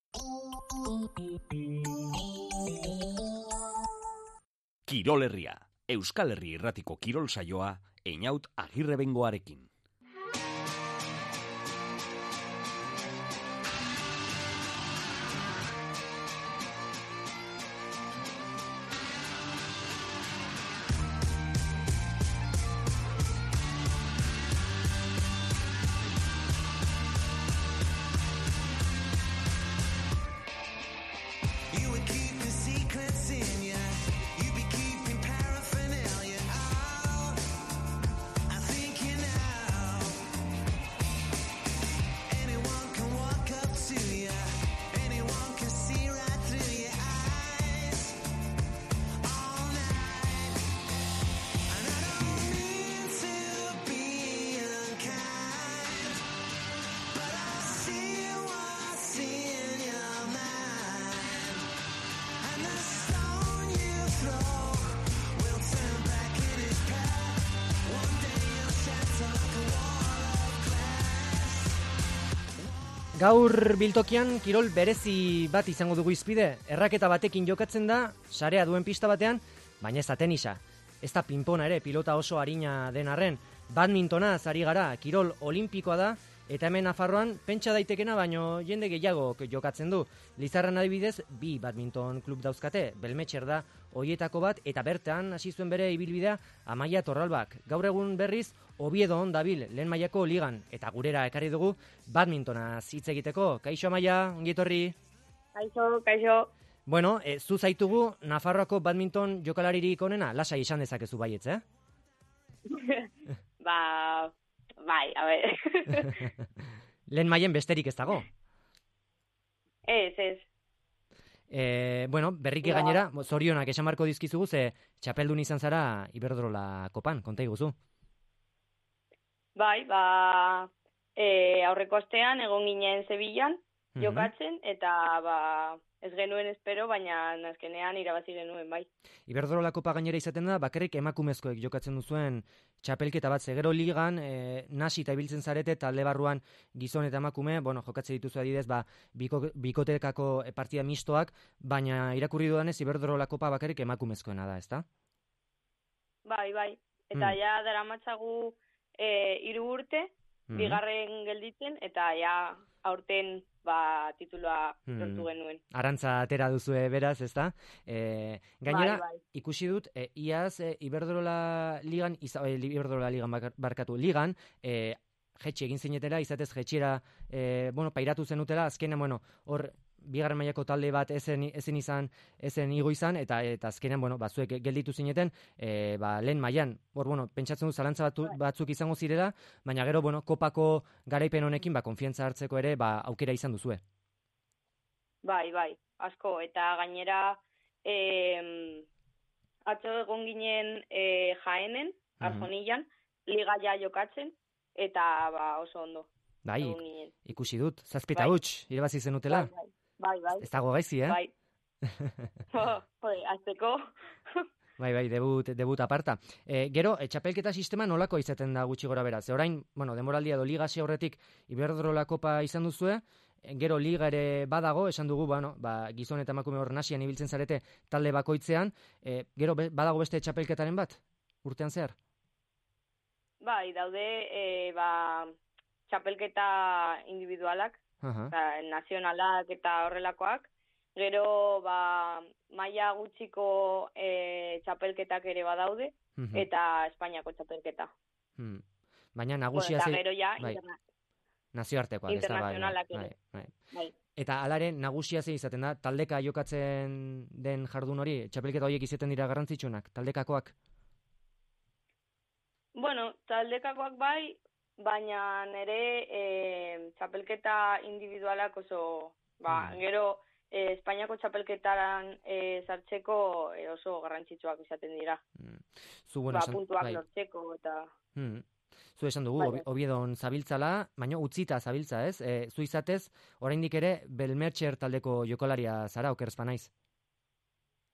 Kirol Herria, Euskal Herri irratiko kirol saioa, Einaut Agirrebengoarekin. Gaur biltokian kirol berezi bat izango dugu izpide. Erraketa batekin jokatzen da, sarea duen pista batean, baina ez da tenisa. Ez da pinpona ere, pilota oso arina den arren. Badmintona zari gara, kirol olimpikoa da, eta hemen Nafarroan pentsa daitekena, baino jende gehiago jokatzen du. Lizarran adibidez, bi badminton klub dauzkate, Belmetxer da hoietako bat, eta bertan hasi zuen bere ibilbidea Amaia Torralbak. Gaur egun berriz, Oviedo on dabil, lehen mailako ligan, eta gurera ekarri dugu badmintona hitz egiteko. Kaixo Amaia, ongi etorri. Kaixo, kaixo. Bueno, e, zu zaitugu Nafarroako badminton jokalaririk onena, lasai esan dezakezu baietz, eh? ba, bai, a ber. Lehen mailen besterik ez dago? Ez, ez. E, bueno, berriki ja. Gainera, zorionak esan marko dizkizugu, ze txapeldun izan zara Iberdrola kopan, konta iguzu. Bai, ba, e, aurreko astean egon ginen Sevillan, jokatzen, eta ba, ez genuen espero, baina azkenean irabazi genuen, bai. Iberdrola Kopa gainera izaten da, bakarrik emakumezkoek jokatzen duzuen txapelketa bat, zegero ligan, e, nasi eta ibiltzen zarete, talde barruan gizon eta emakume, bueno, jokatzen dituzu adidez, ba, biko, bikotekako partida mistoak, baina irakurri dudanez, Iberdrola Kopa bakarrik emakumezkoena da, ezta? Bai, bai, eta Mm. ja daramatzagu e, hiru urte, Mhm. bigarren gelditzen, eta ja aurten ba, tituloa Mhm. lortu genuen. Arantza atera duzue beraz, ezta? E, gainera, Bai, bai. ikusi dut, e, iaz e, Iberdrola ligan, iza, e, Iberdrola ligan bakar- barkatu, ligan, e, jetxe egin zinetela, izatez jetxera, e, bueno, pairatu zenutela, azkenean, bueno, hor, bigarren mailako talde bat ezen, ezen izan, ezen igo izan, eta eta azkenean, bueno, batzuek gelditu zineten, e, ba, lehen mailan, hor, bueno, pentsatzen du zalantza batu, batzuk izango zirela, baina gero, bueno, kopako garaipen honekin, ba, konfiantza hartzeko ere, ba, aukera izan duzue. Bai, bai, asko, eta gainera eh, atzo egon ginen eh, Jaenen, Arjonillan, liga ja jokatzen, eta ba, oso ondo. Bai, egon ginen. ikusi dut, zazpita Bai. huts, irabazi zenutela. Bai, bai, bai. Ez dago gaizki, eh? Bai. Jode, azteko. Bai, bai, debut, debut aparta. E, gero, e, txapelketa sistema nolako izaten da gutxi gora bera? Ze orain, bueno, demoraldia do liga hasi aurretik Iberdrola Kopa izan duzue, e, gero liga ere badago, esan dugu, bueno, ba, gizon eta emakume hor nasian ibiltzen zarete talde bakoitzean, e, gero be, badago beste txapelketaren bat, urtean zehar? Bai, daude e, ba, txapelketa individualak, Aha. eta nazionalak eta horrelakoak. Gero, ba, maila gutxiko e, txapelketak ere badaude, Mhm. eta Espainiako txapelketa. Hmm. Baina nagusia Bueno, eta ze- gero ja, bai, interna- nazioartekoak, ez da, bai, bai, internazionalak bai, ere. bai. Bai. Eta alare nagusia ze izaten da, taldeka jokatzen den jardun hori, txapelketa horiek izaten dira garrantzitsunak, taldekakoak. Bueno, taldekakoak bai, baina nere e, txapelketa individualak oso, ba, Mm. gero e, Espainiako txapelketaran e, sartzeko e, oso garrantzitsuak izaten dira. Zu, bueno, ba, esan- puntuak bai. lortzeko eta... Hmm. Zu esan dugu, Bai, Obi- bai. Obiedon zabiltzala, baina utzita zabiltza, ez? E, zu izatez, oraindik ere, Belmertxer taldeko jokalaria zara, okerzpa naiz.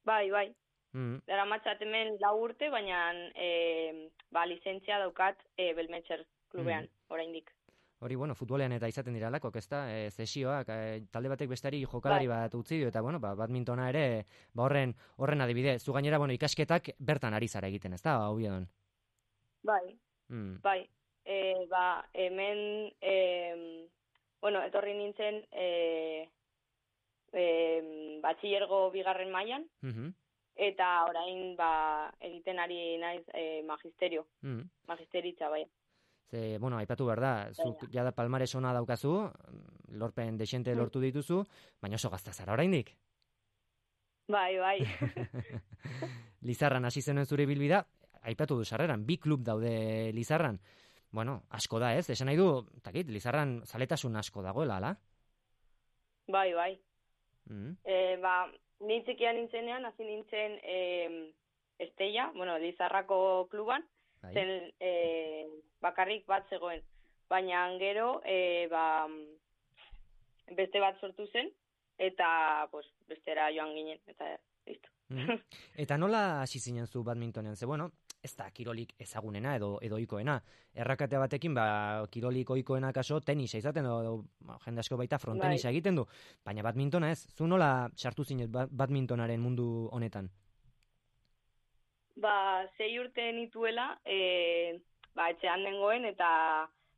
Bai, bai. Hmm. Daramatzat hemen lau urte, baina e, ba, lizentzia daukat e, Belmetxer klubean, Mhm. oraindik. Hori, bueno, futbolean eta izaten dira lakok, ezta? E, zesioak, e, talde batek bestari jokalari Bai. bat utzi dio, eta, bueno, ba, badmintona ere, ba, horren, horren adibide. Zu gainera, bueno, ikasketak bertan ari zara egiten, ezta, Obiedon? Bai, Hmm. bai. E, ba, hemen, e, bueno, etorri nintzen e, e, batxillergo bigarren mailan, Mhm. eta orain ba, egiten ari naiz e, magisterio, Mhm. magisteritza, bai. Ze, bueno, aipatu behar da, zuk jada palmares ona daukazu, lorpen desente lortu dituzu, baina oso gazta zara oraindik. Bai, bai. Lizarran hasi zenuen zure bilbida, aipatu du sarreran, bi klub daude Lizarran. Bueno, asko da, ez? Esan nahi du, takit, Lizarran zaletasun asko dagoela, ala? Bai, bai. Mm. E, ba, ni txikia nintzenean, hasi nintzen e, Estella, bueno, Lizarrako kluban, Bai. zen e, bakarrik bat zegoen. Baina gero, e, ba, beste bat sortu zen, eta pues, bestera joan ginen, eta listo. Mm. Eta nola hasi zinen zu badmintonean? Ze, bueno, ez da kirolik ezagunena edo edo ohikoena. Errakate batekin, ba, kirolik ohikoena kaso tenisa izaten edo, edo ba, jende asko baita frontenisa Bai. egiten du. Baina badmintona ez, zu nola sartu zinen ba- badmintonaren mundu honetan? Ba, sei urte nituela, e, ba, etxean nengoen, eta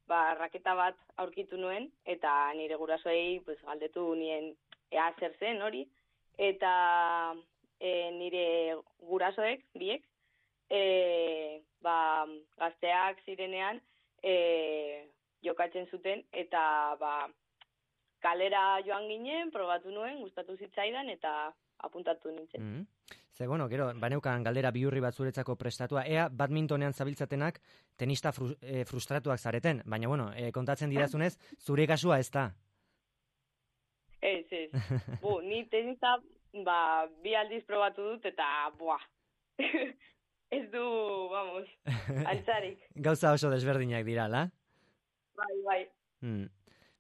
ba, raketa bat aurkitu nuen, eta nire gurasoei pues, galdetu nien ea zer zen hori, eta e, nire gurasoek, biek, e, ba, gazteak zirenean e, jokatzen zuten, eta ba, kalera joan ginen, probatu nuen, gustatu zitzaidan, eta apuntatu nintzen. Mm. Ze, bueno, gero, baneukan galdera bihurri bat zuretzako prestatua, ea badmintonean zabiltzatenak tenista fru, e, frustratuak zareten, baina, bueno, e, kontatzen didazunez, zure kasua ez da. Ez, ez. Bu, ni tenisa, ba, bi aldiz probatu dut, eta, buah, ez du, vamos, altzarik. Gauza oso desberdinak dira, la? Bai, bai. Hmm.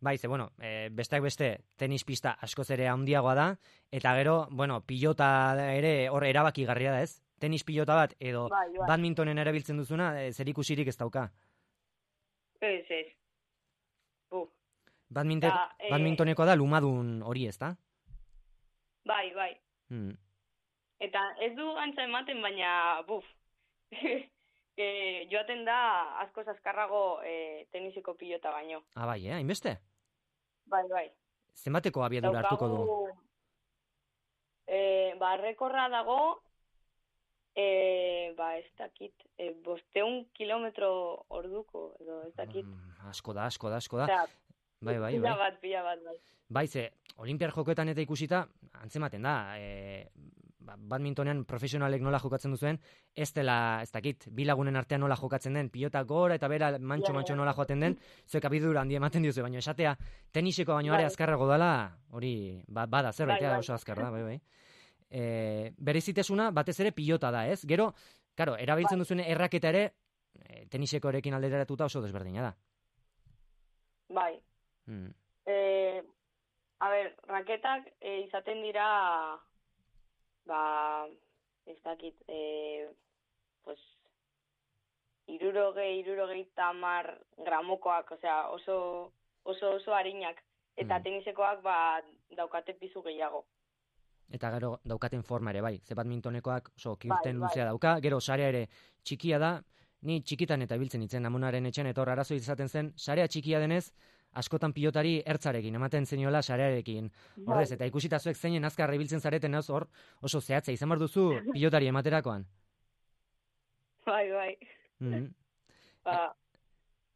Bai, ze, bueno, e, besteak beste, tenis pista askoz ere handiagoa da, eta gero, bueno, pilota ere hor erabakigarria da, ez? Tenis pilota bat edo bai, bai. badmintonen erabiltzen duzuna, e, zerikusirik ez dauka. Ez, ez. Bu. Badminton, Ta, eh, badmintoneko da lumadun hori, ez da? Bai, bai. Hmm. Eta ez du antza ematen, baina, buf, e, joaten da askoz azkarrago e, teniseko pilota baino. Ah, bai, eh? Hainbeste? Bai, bai. Zenbateko abiadura hartuko du? E, ba, rekorra dago, e, ba, ez dakit, e, bosteun kilometro orduko, edo ez dakit. Mm, asko da, asko da, asko da. Osea, bai, bai, pila bai. bat, pila bat, bai. Bai, ze, olimpiar jokoetan eta ikusita, antzematen da, e, ba, badmintonean profesionalek nola jokatzen duzuen, ez dela, ez dakit, bi lagunen artean nola jokatzen den, pilota gora eta bera mantxo-mantxo nola joaten den, zuek abidura handi ematen diozu, baina esatea teniseko baino are Bai. azkarrago dala, hori, ba, bada zerbait, Bai, bai. oso azkar da, bai, bai. E, berezitasuna batez ere pilota da, ez? Gero, karo, erabiltzen Bai. duzuen erraketa ere, e, tenisekoarekin alderatuta oso desberdina da. Bai. Hmm. E, a ber, raketak e, izaten dira, ba, ez dakit, e, pues, irurogei, irurogei tamar gramokoak, osea, oso, oso, oso harinak. Eta Mm. tenisekoak, ba, daukate pizu gehiago. Eta gero daukaten forma ere, bai. Ze badmintonekoak oso kirten Bai, luzea bai. dauka, gero sarea ere txikia da, ni txikitan eta biltzen itzen amonaren etxen, eta hor arazo izaten zen, sarea txikia denez, askotan pilotari ertzarekin, ematen zeniola sarearekin. Horrez, Bai. eta ikusita zuek zeinen azkarra ibiltzen zareten ez hor, oso zehatza izan behar duzu pilotari ematerakoan. Bai, bai. Mhm. Ba,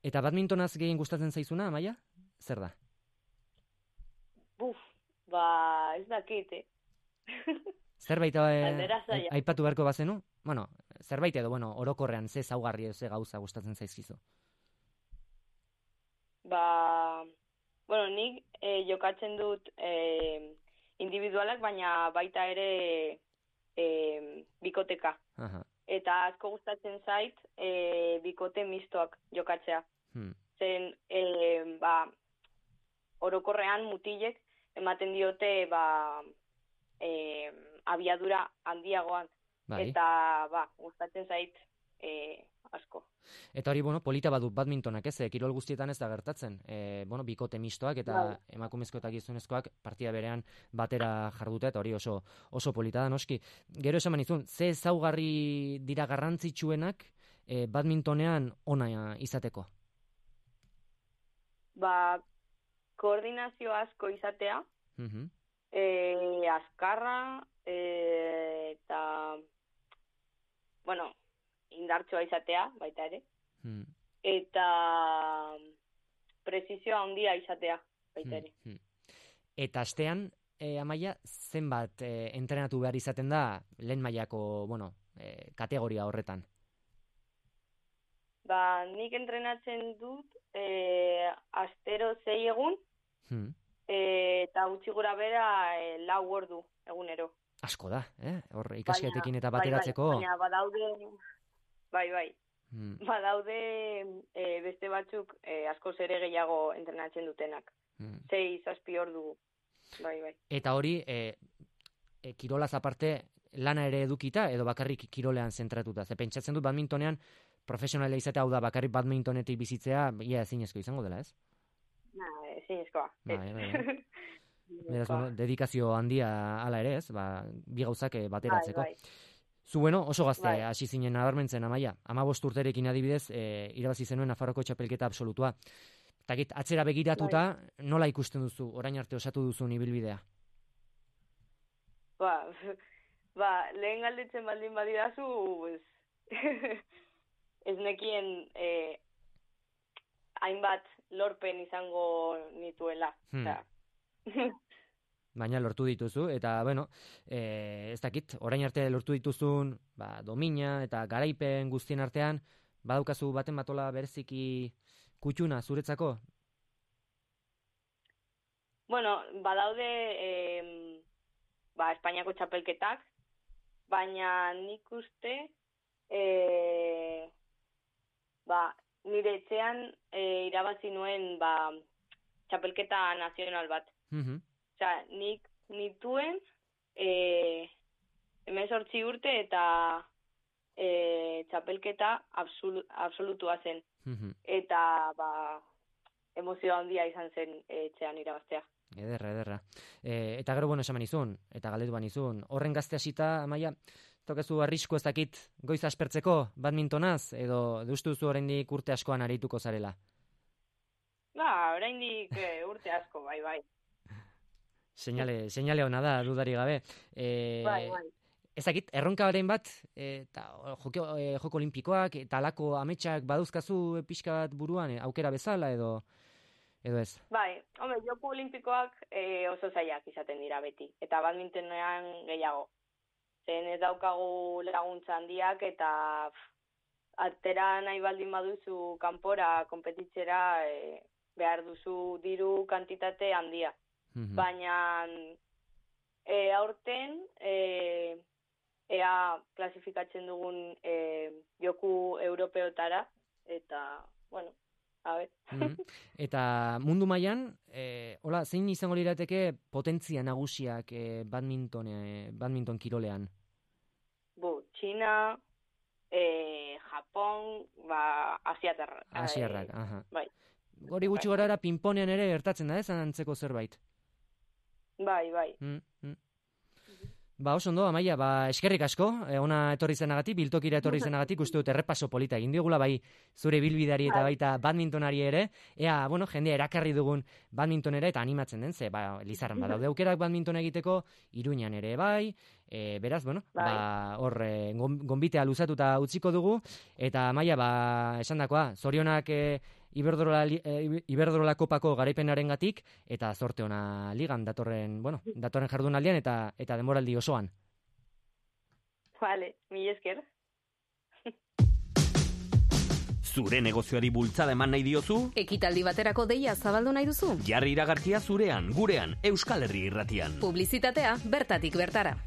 Eta badmintonaz gehien gustatzen zaizuna, Amaia? Zer da? buf, ba, ez dakit, eh? Zerbait eh, Galdera zaila. aipatu beharko bazenu? Bueno, zerbait edo, bueno, orokorrean ze zaugarri edo ze gauza gustatzen zaizkizu. Ba, bueno, nik eh, jokatzen dut eh, individualak, baina baita ere eh, bikoteka. Aha. Eta asko gustatzen zait eh, bikote mistoak jokatzea. Hmm. Zen, eh, ba, orokorrean mutilek ematen diote, ba, eh, abiadura handiagoan. Bai. Eta, ba, gustatzen zait eh, asko. Eta hori, bueno, polita badu badmintonak, ez, eh, kirol guztietan ez da gertatzen. E, bueno, bikote mistoak eta Bai. emakumezko eta gizonezkoak partida berean batera jardute, eta hori oso oso polita da, noski. Gero esan manizun, ze ezaugarri dira garrantzitsuenak e, badmintonean ona izateko? Ba, koordinazio asko izatea, Mhm. e, azkarra, e, eta, bueno, indartsoa izatea, baita ere, Hmm. eta presizioa handia izatea, baita ere. Hmm. Eta astean, e, Amaia, zenbat e, entrenatu behar izaten da lehen mailako, bueno, e, kategoria horretan? Ba, nik entrenatzen dut e, astero zei egun, Hmm. e, eta gutxi gora bera e, lau ordu egunero. Asko da, eh? Hor ikasketekin eta Baina- bateratzeko. Bai, bai, baina badaude, bai, bai, Hmm. badaude e, beste batzuk e, askoz ere gehiago entrenatzen dutenak. Hmm. Sei, zazpi ordu, bai, bai. Eta hori, e, e, kirolaz aparte, lana ere edukita, edo bakarrik kirolean zentratuta. Ze pentsatzen dut badmintonean, profesionala izatea, hau da, bakarrik badmintonetik bizitzea, ia ezinezko izango dela, ez? Na, ezinezkoa. Bai, bai, bai. Beraz, bueno, dedikazio handia hala ere, ez? Ba, bi gauzak eh, bateratzeko. Bai, bai. Zu, bueno, oso gazte Bai. hasi zinen nabarmentzen, Amaia. Hamabost urterekin adibidez, e, irabazi zenuen Nafarroko txapelketa absolutua. Takit, atzera begiratuta, nola ikusten duzu, orain arte osatu duzun ibilbidea? Ba, ba, lehen galdetzen baldin badidazu, pues, ez nekien eh, hainbat lorpen izango nituela. Hmm. Osea, Baina lortu dituzu, eta, bueno, e, ez dakit, orain arte lortu dituzun, ba, domina eta garaipen guztien artean, badaukazu baten batola bereziki kutxuna zuretzako? bueno, badaude eh, ba, Espainiako txapelketak, baina nik uste eh, ba, nire etxean eh, irabazi nuen ba, txapelketa nazional bat. Mhm. Osea, nik nituen e, hemezortzi urte eta e, txapelketa absolu, absolutua zen. Mhm. Eta, ba, emozio handia izan zen etxean irabaztea. Ederra, ederra. E, eta gero, bueno, esamen izun, eta galdetu ban izun. Horren gazte hasita, Amaia, tokezu arrisku ez dakit goiz aspertzeko badmintonaz, edo deustu duzu oraindik urte askoan arituko zarela? Ba, oraindik e, urte asko, bai, bai. Seinale, seinale hona da, dudari gabe. E, Bai, bai. Ezakit, erronkabaren bat, eta joko, e, joko olimpikoak, eta alako ametsak baduzkazu pixka bat buruan, e, aukera bezala, edo edo ez? Bai, hombre, joko olimpikoak e, oso zailak izaten dira beti, eta badmintonean gehiago. Zen ez daukagu laguntza handiak, eta pff, atera nahi baldin baduzu kanpora, konpetitzera, e, behar duzu diru kantitate handia. Mhm. Baina e, aurten e, ea klasifikatzen dugun e, joku europeotara, eta, bueno, a ber. Mhm. Eta mundu mailan, eh, hola, zein izango lirateke potentzia nagusiak eh, badminton, eh, badminton kirolean? Bu, China, e, Japon, ba, asiatarra. Asiarrak, aha. Bai. Gori gutxi gorara pinponean ere gertatzen da, ez antzeko zerbait. Bai, bai. Mm, mm. Ba, oso ondo, Amaia, ba, eskerrik asko, eh, ona etorri zenagatik, biltokira etorri zenagatik, uste dut errepaso polita egin diogula, bai, zure bilbidari eta baita badmintonari ere, ea, bueno, jendea erakarri dugun badmintonera eta animatzen den, ze, ba, Lizarran badaude aukerak badminton egiteko, Iruñan ere bai, e, beraz, bueno, Bai. ba, hor, e, gon- gonbitea luzatuta utziko dugu, eta Amaia, ba, esandakoa, zorionak e, Iberdrola, li- e, Iberdrola kopako garaipenarengatik eta zorte ona ligan datorren, bueno, datorren jardunaldian eta eta denboraldi osoan. Vale, mila esker. Zure negozioari bultzada eman nahi diozu? Ekitaldi baterako deia zabaldu nahi duzu? Jarri iragarkia zurean, gurean, Euskal Herri Irratian. Publizitatea bertatik bertara.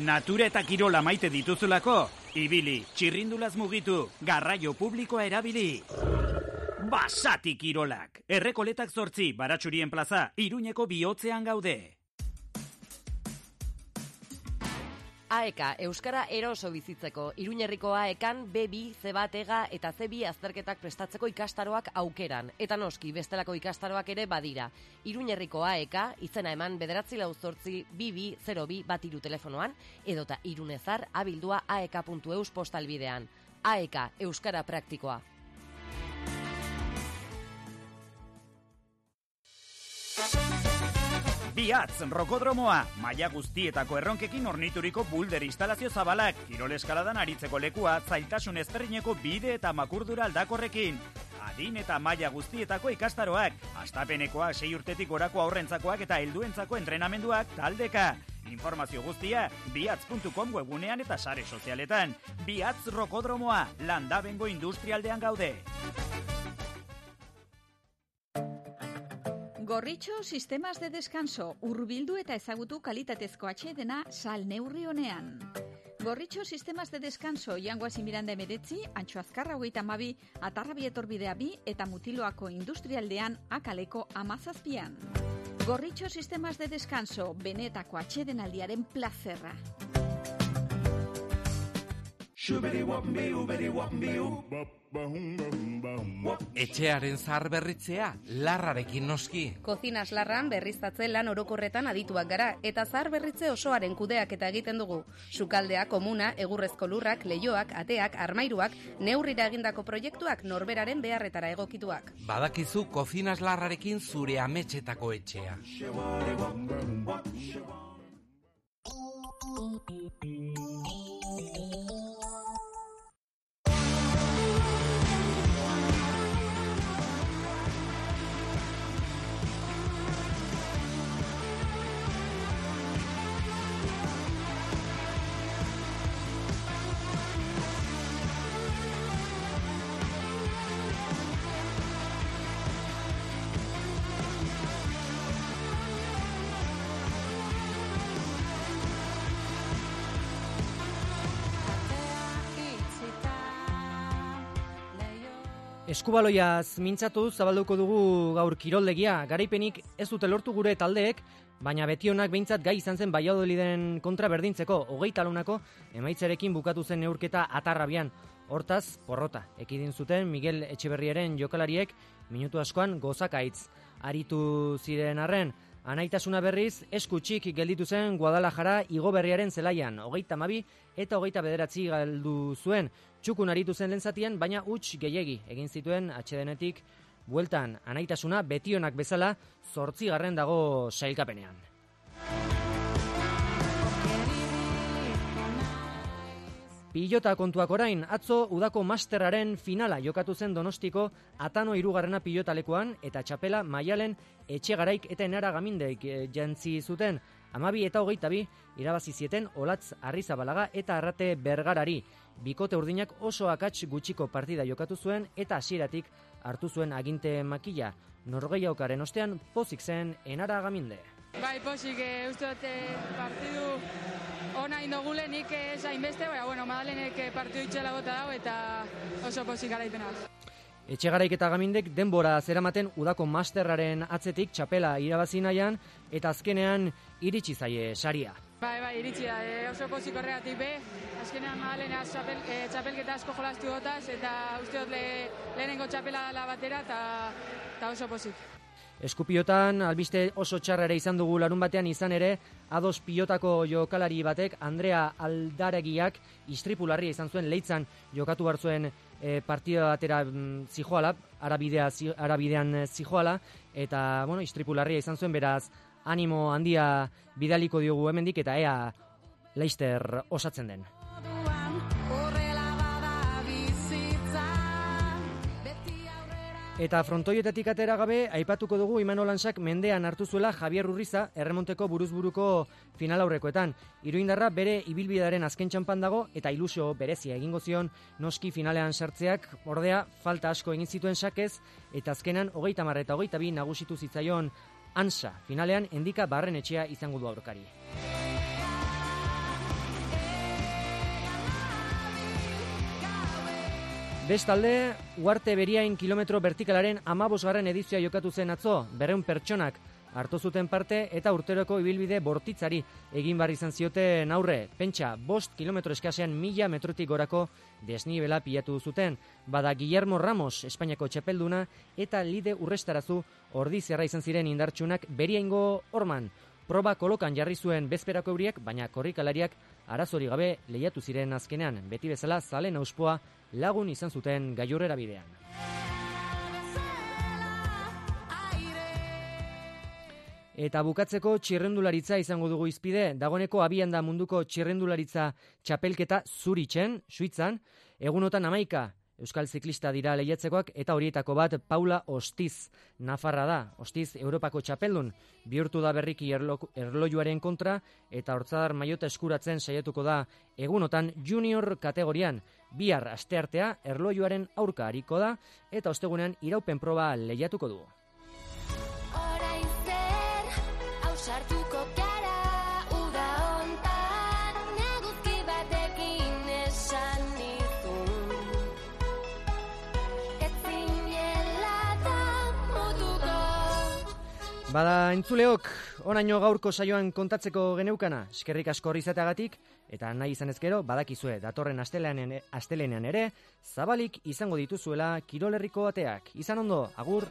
Natura eta kirola maite dituzulako, ibili, txirrindulaz mugitu, garraio publikoa erabili. Basati kirolak, errekoletak zortzi, Baratxurien plaza, Iruñeko bihotzean gaude. A E K, Euskara eroso bizitzeko. Iruñerriko A E Kan B bi, C bat, E Ga eta C bi azterketak prestatzeko ikastaroak aukeran. Eta noski, bestelako ikastaroak ere badira. Iruñerriko A E K, izena eman bederatzi lau zortzi, bi bi, zero bi bat iru telefonoan, edota irunezar abildua aek puntu eus postalbidean. A E K, Euskara praktikoa. Biatz, rokodromoa, maila guztietako erronkekin ornituriko bulder instalazio zabalak, kirol eskaladan aritzeko lekua, zailtasun ezberdineko bide eta makurdura aldakorrekin. Adin eta maila guztietako ikastaroak, astapenekoak, sei urtetik gorako aurrentzakoak eta helduentzako entrenamenduak taldeka. Informazio guztia, biatz puntu com webunean eta sare sozialetan. Biatz rokodromoa, Landabengo industrialdean gaude. Gorritxo sistemas de descanso, hurbildu eta ezagutu kalitatezko atsedena sal neurri honean. Gorritxo sistemas de descanso, Jangoazi Miranda emeretzi, Antxo Azkarra hogeita hamabi, Atarrabi etorbidea bi eta Mutiloako industrialdean akaleko amazazpian. Gorritxo sistemas de descanso, benetako atsedenaldiaren plazerra. Etxearen zahar berritzea, larrarekin noski. Kozinas larran berriztatze lan orokorretan adituak gara, eta zahar berritze osoaren kudeak eta egiten dugu. Sukaldea, komuna, egurrezko lurrak, leioak, ateak, armairuak, neurrira egindako proiektuak norberaren beharretara egokituak. Badakizu kozinas larrarekin zure ametxetako etxea. Eskubaloiaz mintzatu zabalduko dugu gaur kiroldegia. Garaipenik ez dute lortu gure taldeek, baina betionak behintzat gai izan zen Valladoliden kontra berdintzeko. Hogeita launako emaitzarekin bukatu zen neurketa atarrabian. Hortaz, porrota, ekidin zuten Miguel Etxeberriaren jokalariek minutu askoan gozakaitz. Aritu ziren arren, anaitasuna berriz eskutxik gelditu zen Guadalajara Igoberriaren zelaian. Hogeita hamabi eta hogeita bederatzi galdu zuen. Txukun aritu zen lehen zatian, baina huts gehiegi egin zituen atsedenetik bueltan. Anaitasuna betionak bezala zortzigarren dago sailkapenean. Pilota kontuak orain, atzo udako masterraren finala jokatu zen Donostiko Atano hirugarrena pilotalekuan eta txapela Maialen Etxegaraik eta Enara Gamindeik jantzi zuten. Amabi eta hogeita bi irabazi zieten Olatz Arrizabalaga eta Arrate Bergarari. Bikote urdinak oso akats gutxiko partida jokatu zuen eta hasieratik hartu zuen aginte makila. Norgehiaukaren ostean pozik zen Enara Gaminde. Bai, pozik, e, uste dut partidu ona indogule nik zain beste, baina, bueno, Madalenek partidu itxela bota dago eta oso pozik garaipena. Etxegaraik eta Gamindek denbora zeramaten udako masterraren atzetik txapela irabazi nahian eta azkenean iritsi zaie saria. Bai, bai, iritsi da, e, oso pozik horregatik be, azkenean Madalena txapel, e, txapelketa asko jolastu gotaz eta uste dut le, lehenengo txapela dela batera eta oso pozik. Eskupiotan, albiste oso txarrere izan dugu larun batean izan ere, ados pilotako jokalari batek, Andrea Aldaregiak istripularria izan zuen leitzan jokatu hartzuen e, partida batera mm, zijoala, arabidea, zi, arabidean zijoala, eta bueno, istripularria izan zuen, beraz, animo handia bidaliko diogu hemendik eta ea Leicester osatzen den. Eta frontoietatik atera gabe, aipatuko dugu Imanol Ansak mendean hartu zuela Javier Urriza erremonteko buruzburuko final aurrekoetan. Iruindarra bere ibilbidearen azken txanpan dago eta ilusio berezia egingo zion noski finalean sartzeak, ordea falta asko egin zituen sakez eta azkenan hogeita hamar eta hogeita bi nagusitu zitzaion Ansa. Finalean Endika Barrenetxea izango du aurkari. Bestalde, Uarte Beriain kilometro vertikalaren amabosgarren edizioa jokatu zen atzo, berreun pertsonak hartu zuten parte eta urteroko ibilbide bortitzari egin bar izan zioten aurre. Pentsa, bost kilometro eskasean mila metrotik gorako desnibela pilatu zuten. Bada Guillermo Ramos, Espainiako txapelduna, eta Lide Urrestarazu ordizerra izan ziren indartsunak Beriaingo horman. Proba kolokan jarri zuen bezperako euriak, baina korrikalariak arazori gabe lehiatu ziren azkenean. Beti bezala zalen auspoa lagun izan zuten gailurrera bidean. Eta bukatzeko txirrendularitza izango dugu izpide, dagoeneko abian da munduko txirrendularitza txapelketa Zuritzen, Suitzan, egunotan hamaika euskal ziklista dira lehiatzekoak eta horietako bat Paula Ostiz Nafarra da. Ostiz Europako txapeldun bihurtu da berriki erlo, erlojuaren kontra eta hortzadar maiota eskuratzen saiatuko da egunotan junior kategorian. Bihar asteartea erlojuaren aurka hariko da eta ostegunean iraupen proba lehiatuko du. Bada entzuleok, onaino gaurko saioan kontatzeko geneukana, eskerrik asko hori izateagatik, eta nahi izan ezkero, badakizue, datorren astelenean, astelenean ere, zabalik izango dituzuela Kirolerriko ateak. Izan ondo, agur!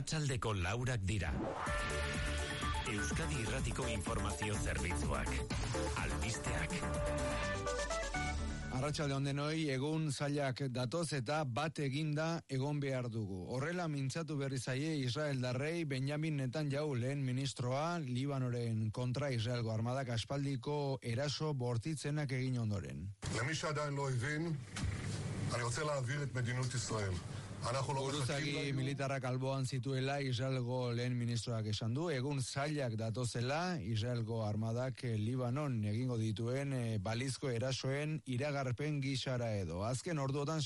Arratsaldeko laurak dira. Euskadi Irratiko informazio zerbitzuak. Albisteak. Arratsalde on denoi, egun zailak datoz eta bat eginda egon behar dugu. Horrela mintzatu berri zaie Israeldarrei Benjamin Netanyahu lehen ministroa Libanoren kontra Israelgo armadak aspaldiko eraso bortitzenak egin ondoren. למי שעדיין לא הבין, אני רוצה להעביר את מדינות ישראל. Buruzagi militarrak alboan zituela Israelgo lehen ministroak esan du, egun zailak datozela Israelgo armadak Libanon egingo dituen balizko erasoen iragarpen gisara edo. Azken orduotan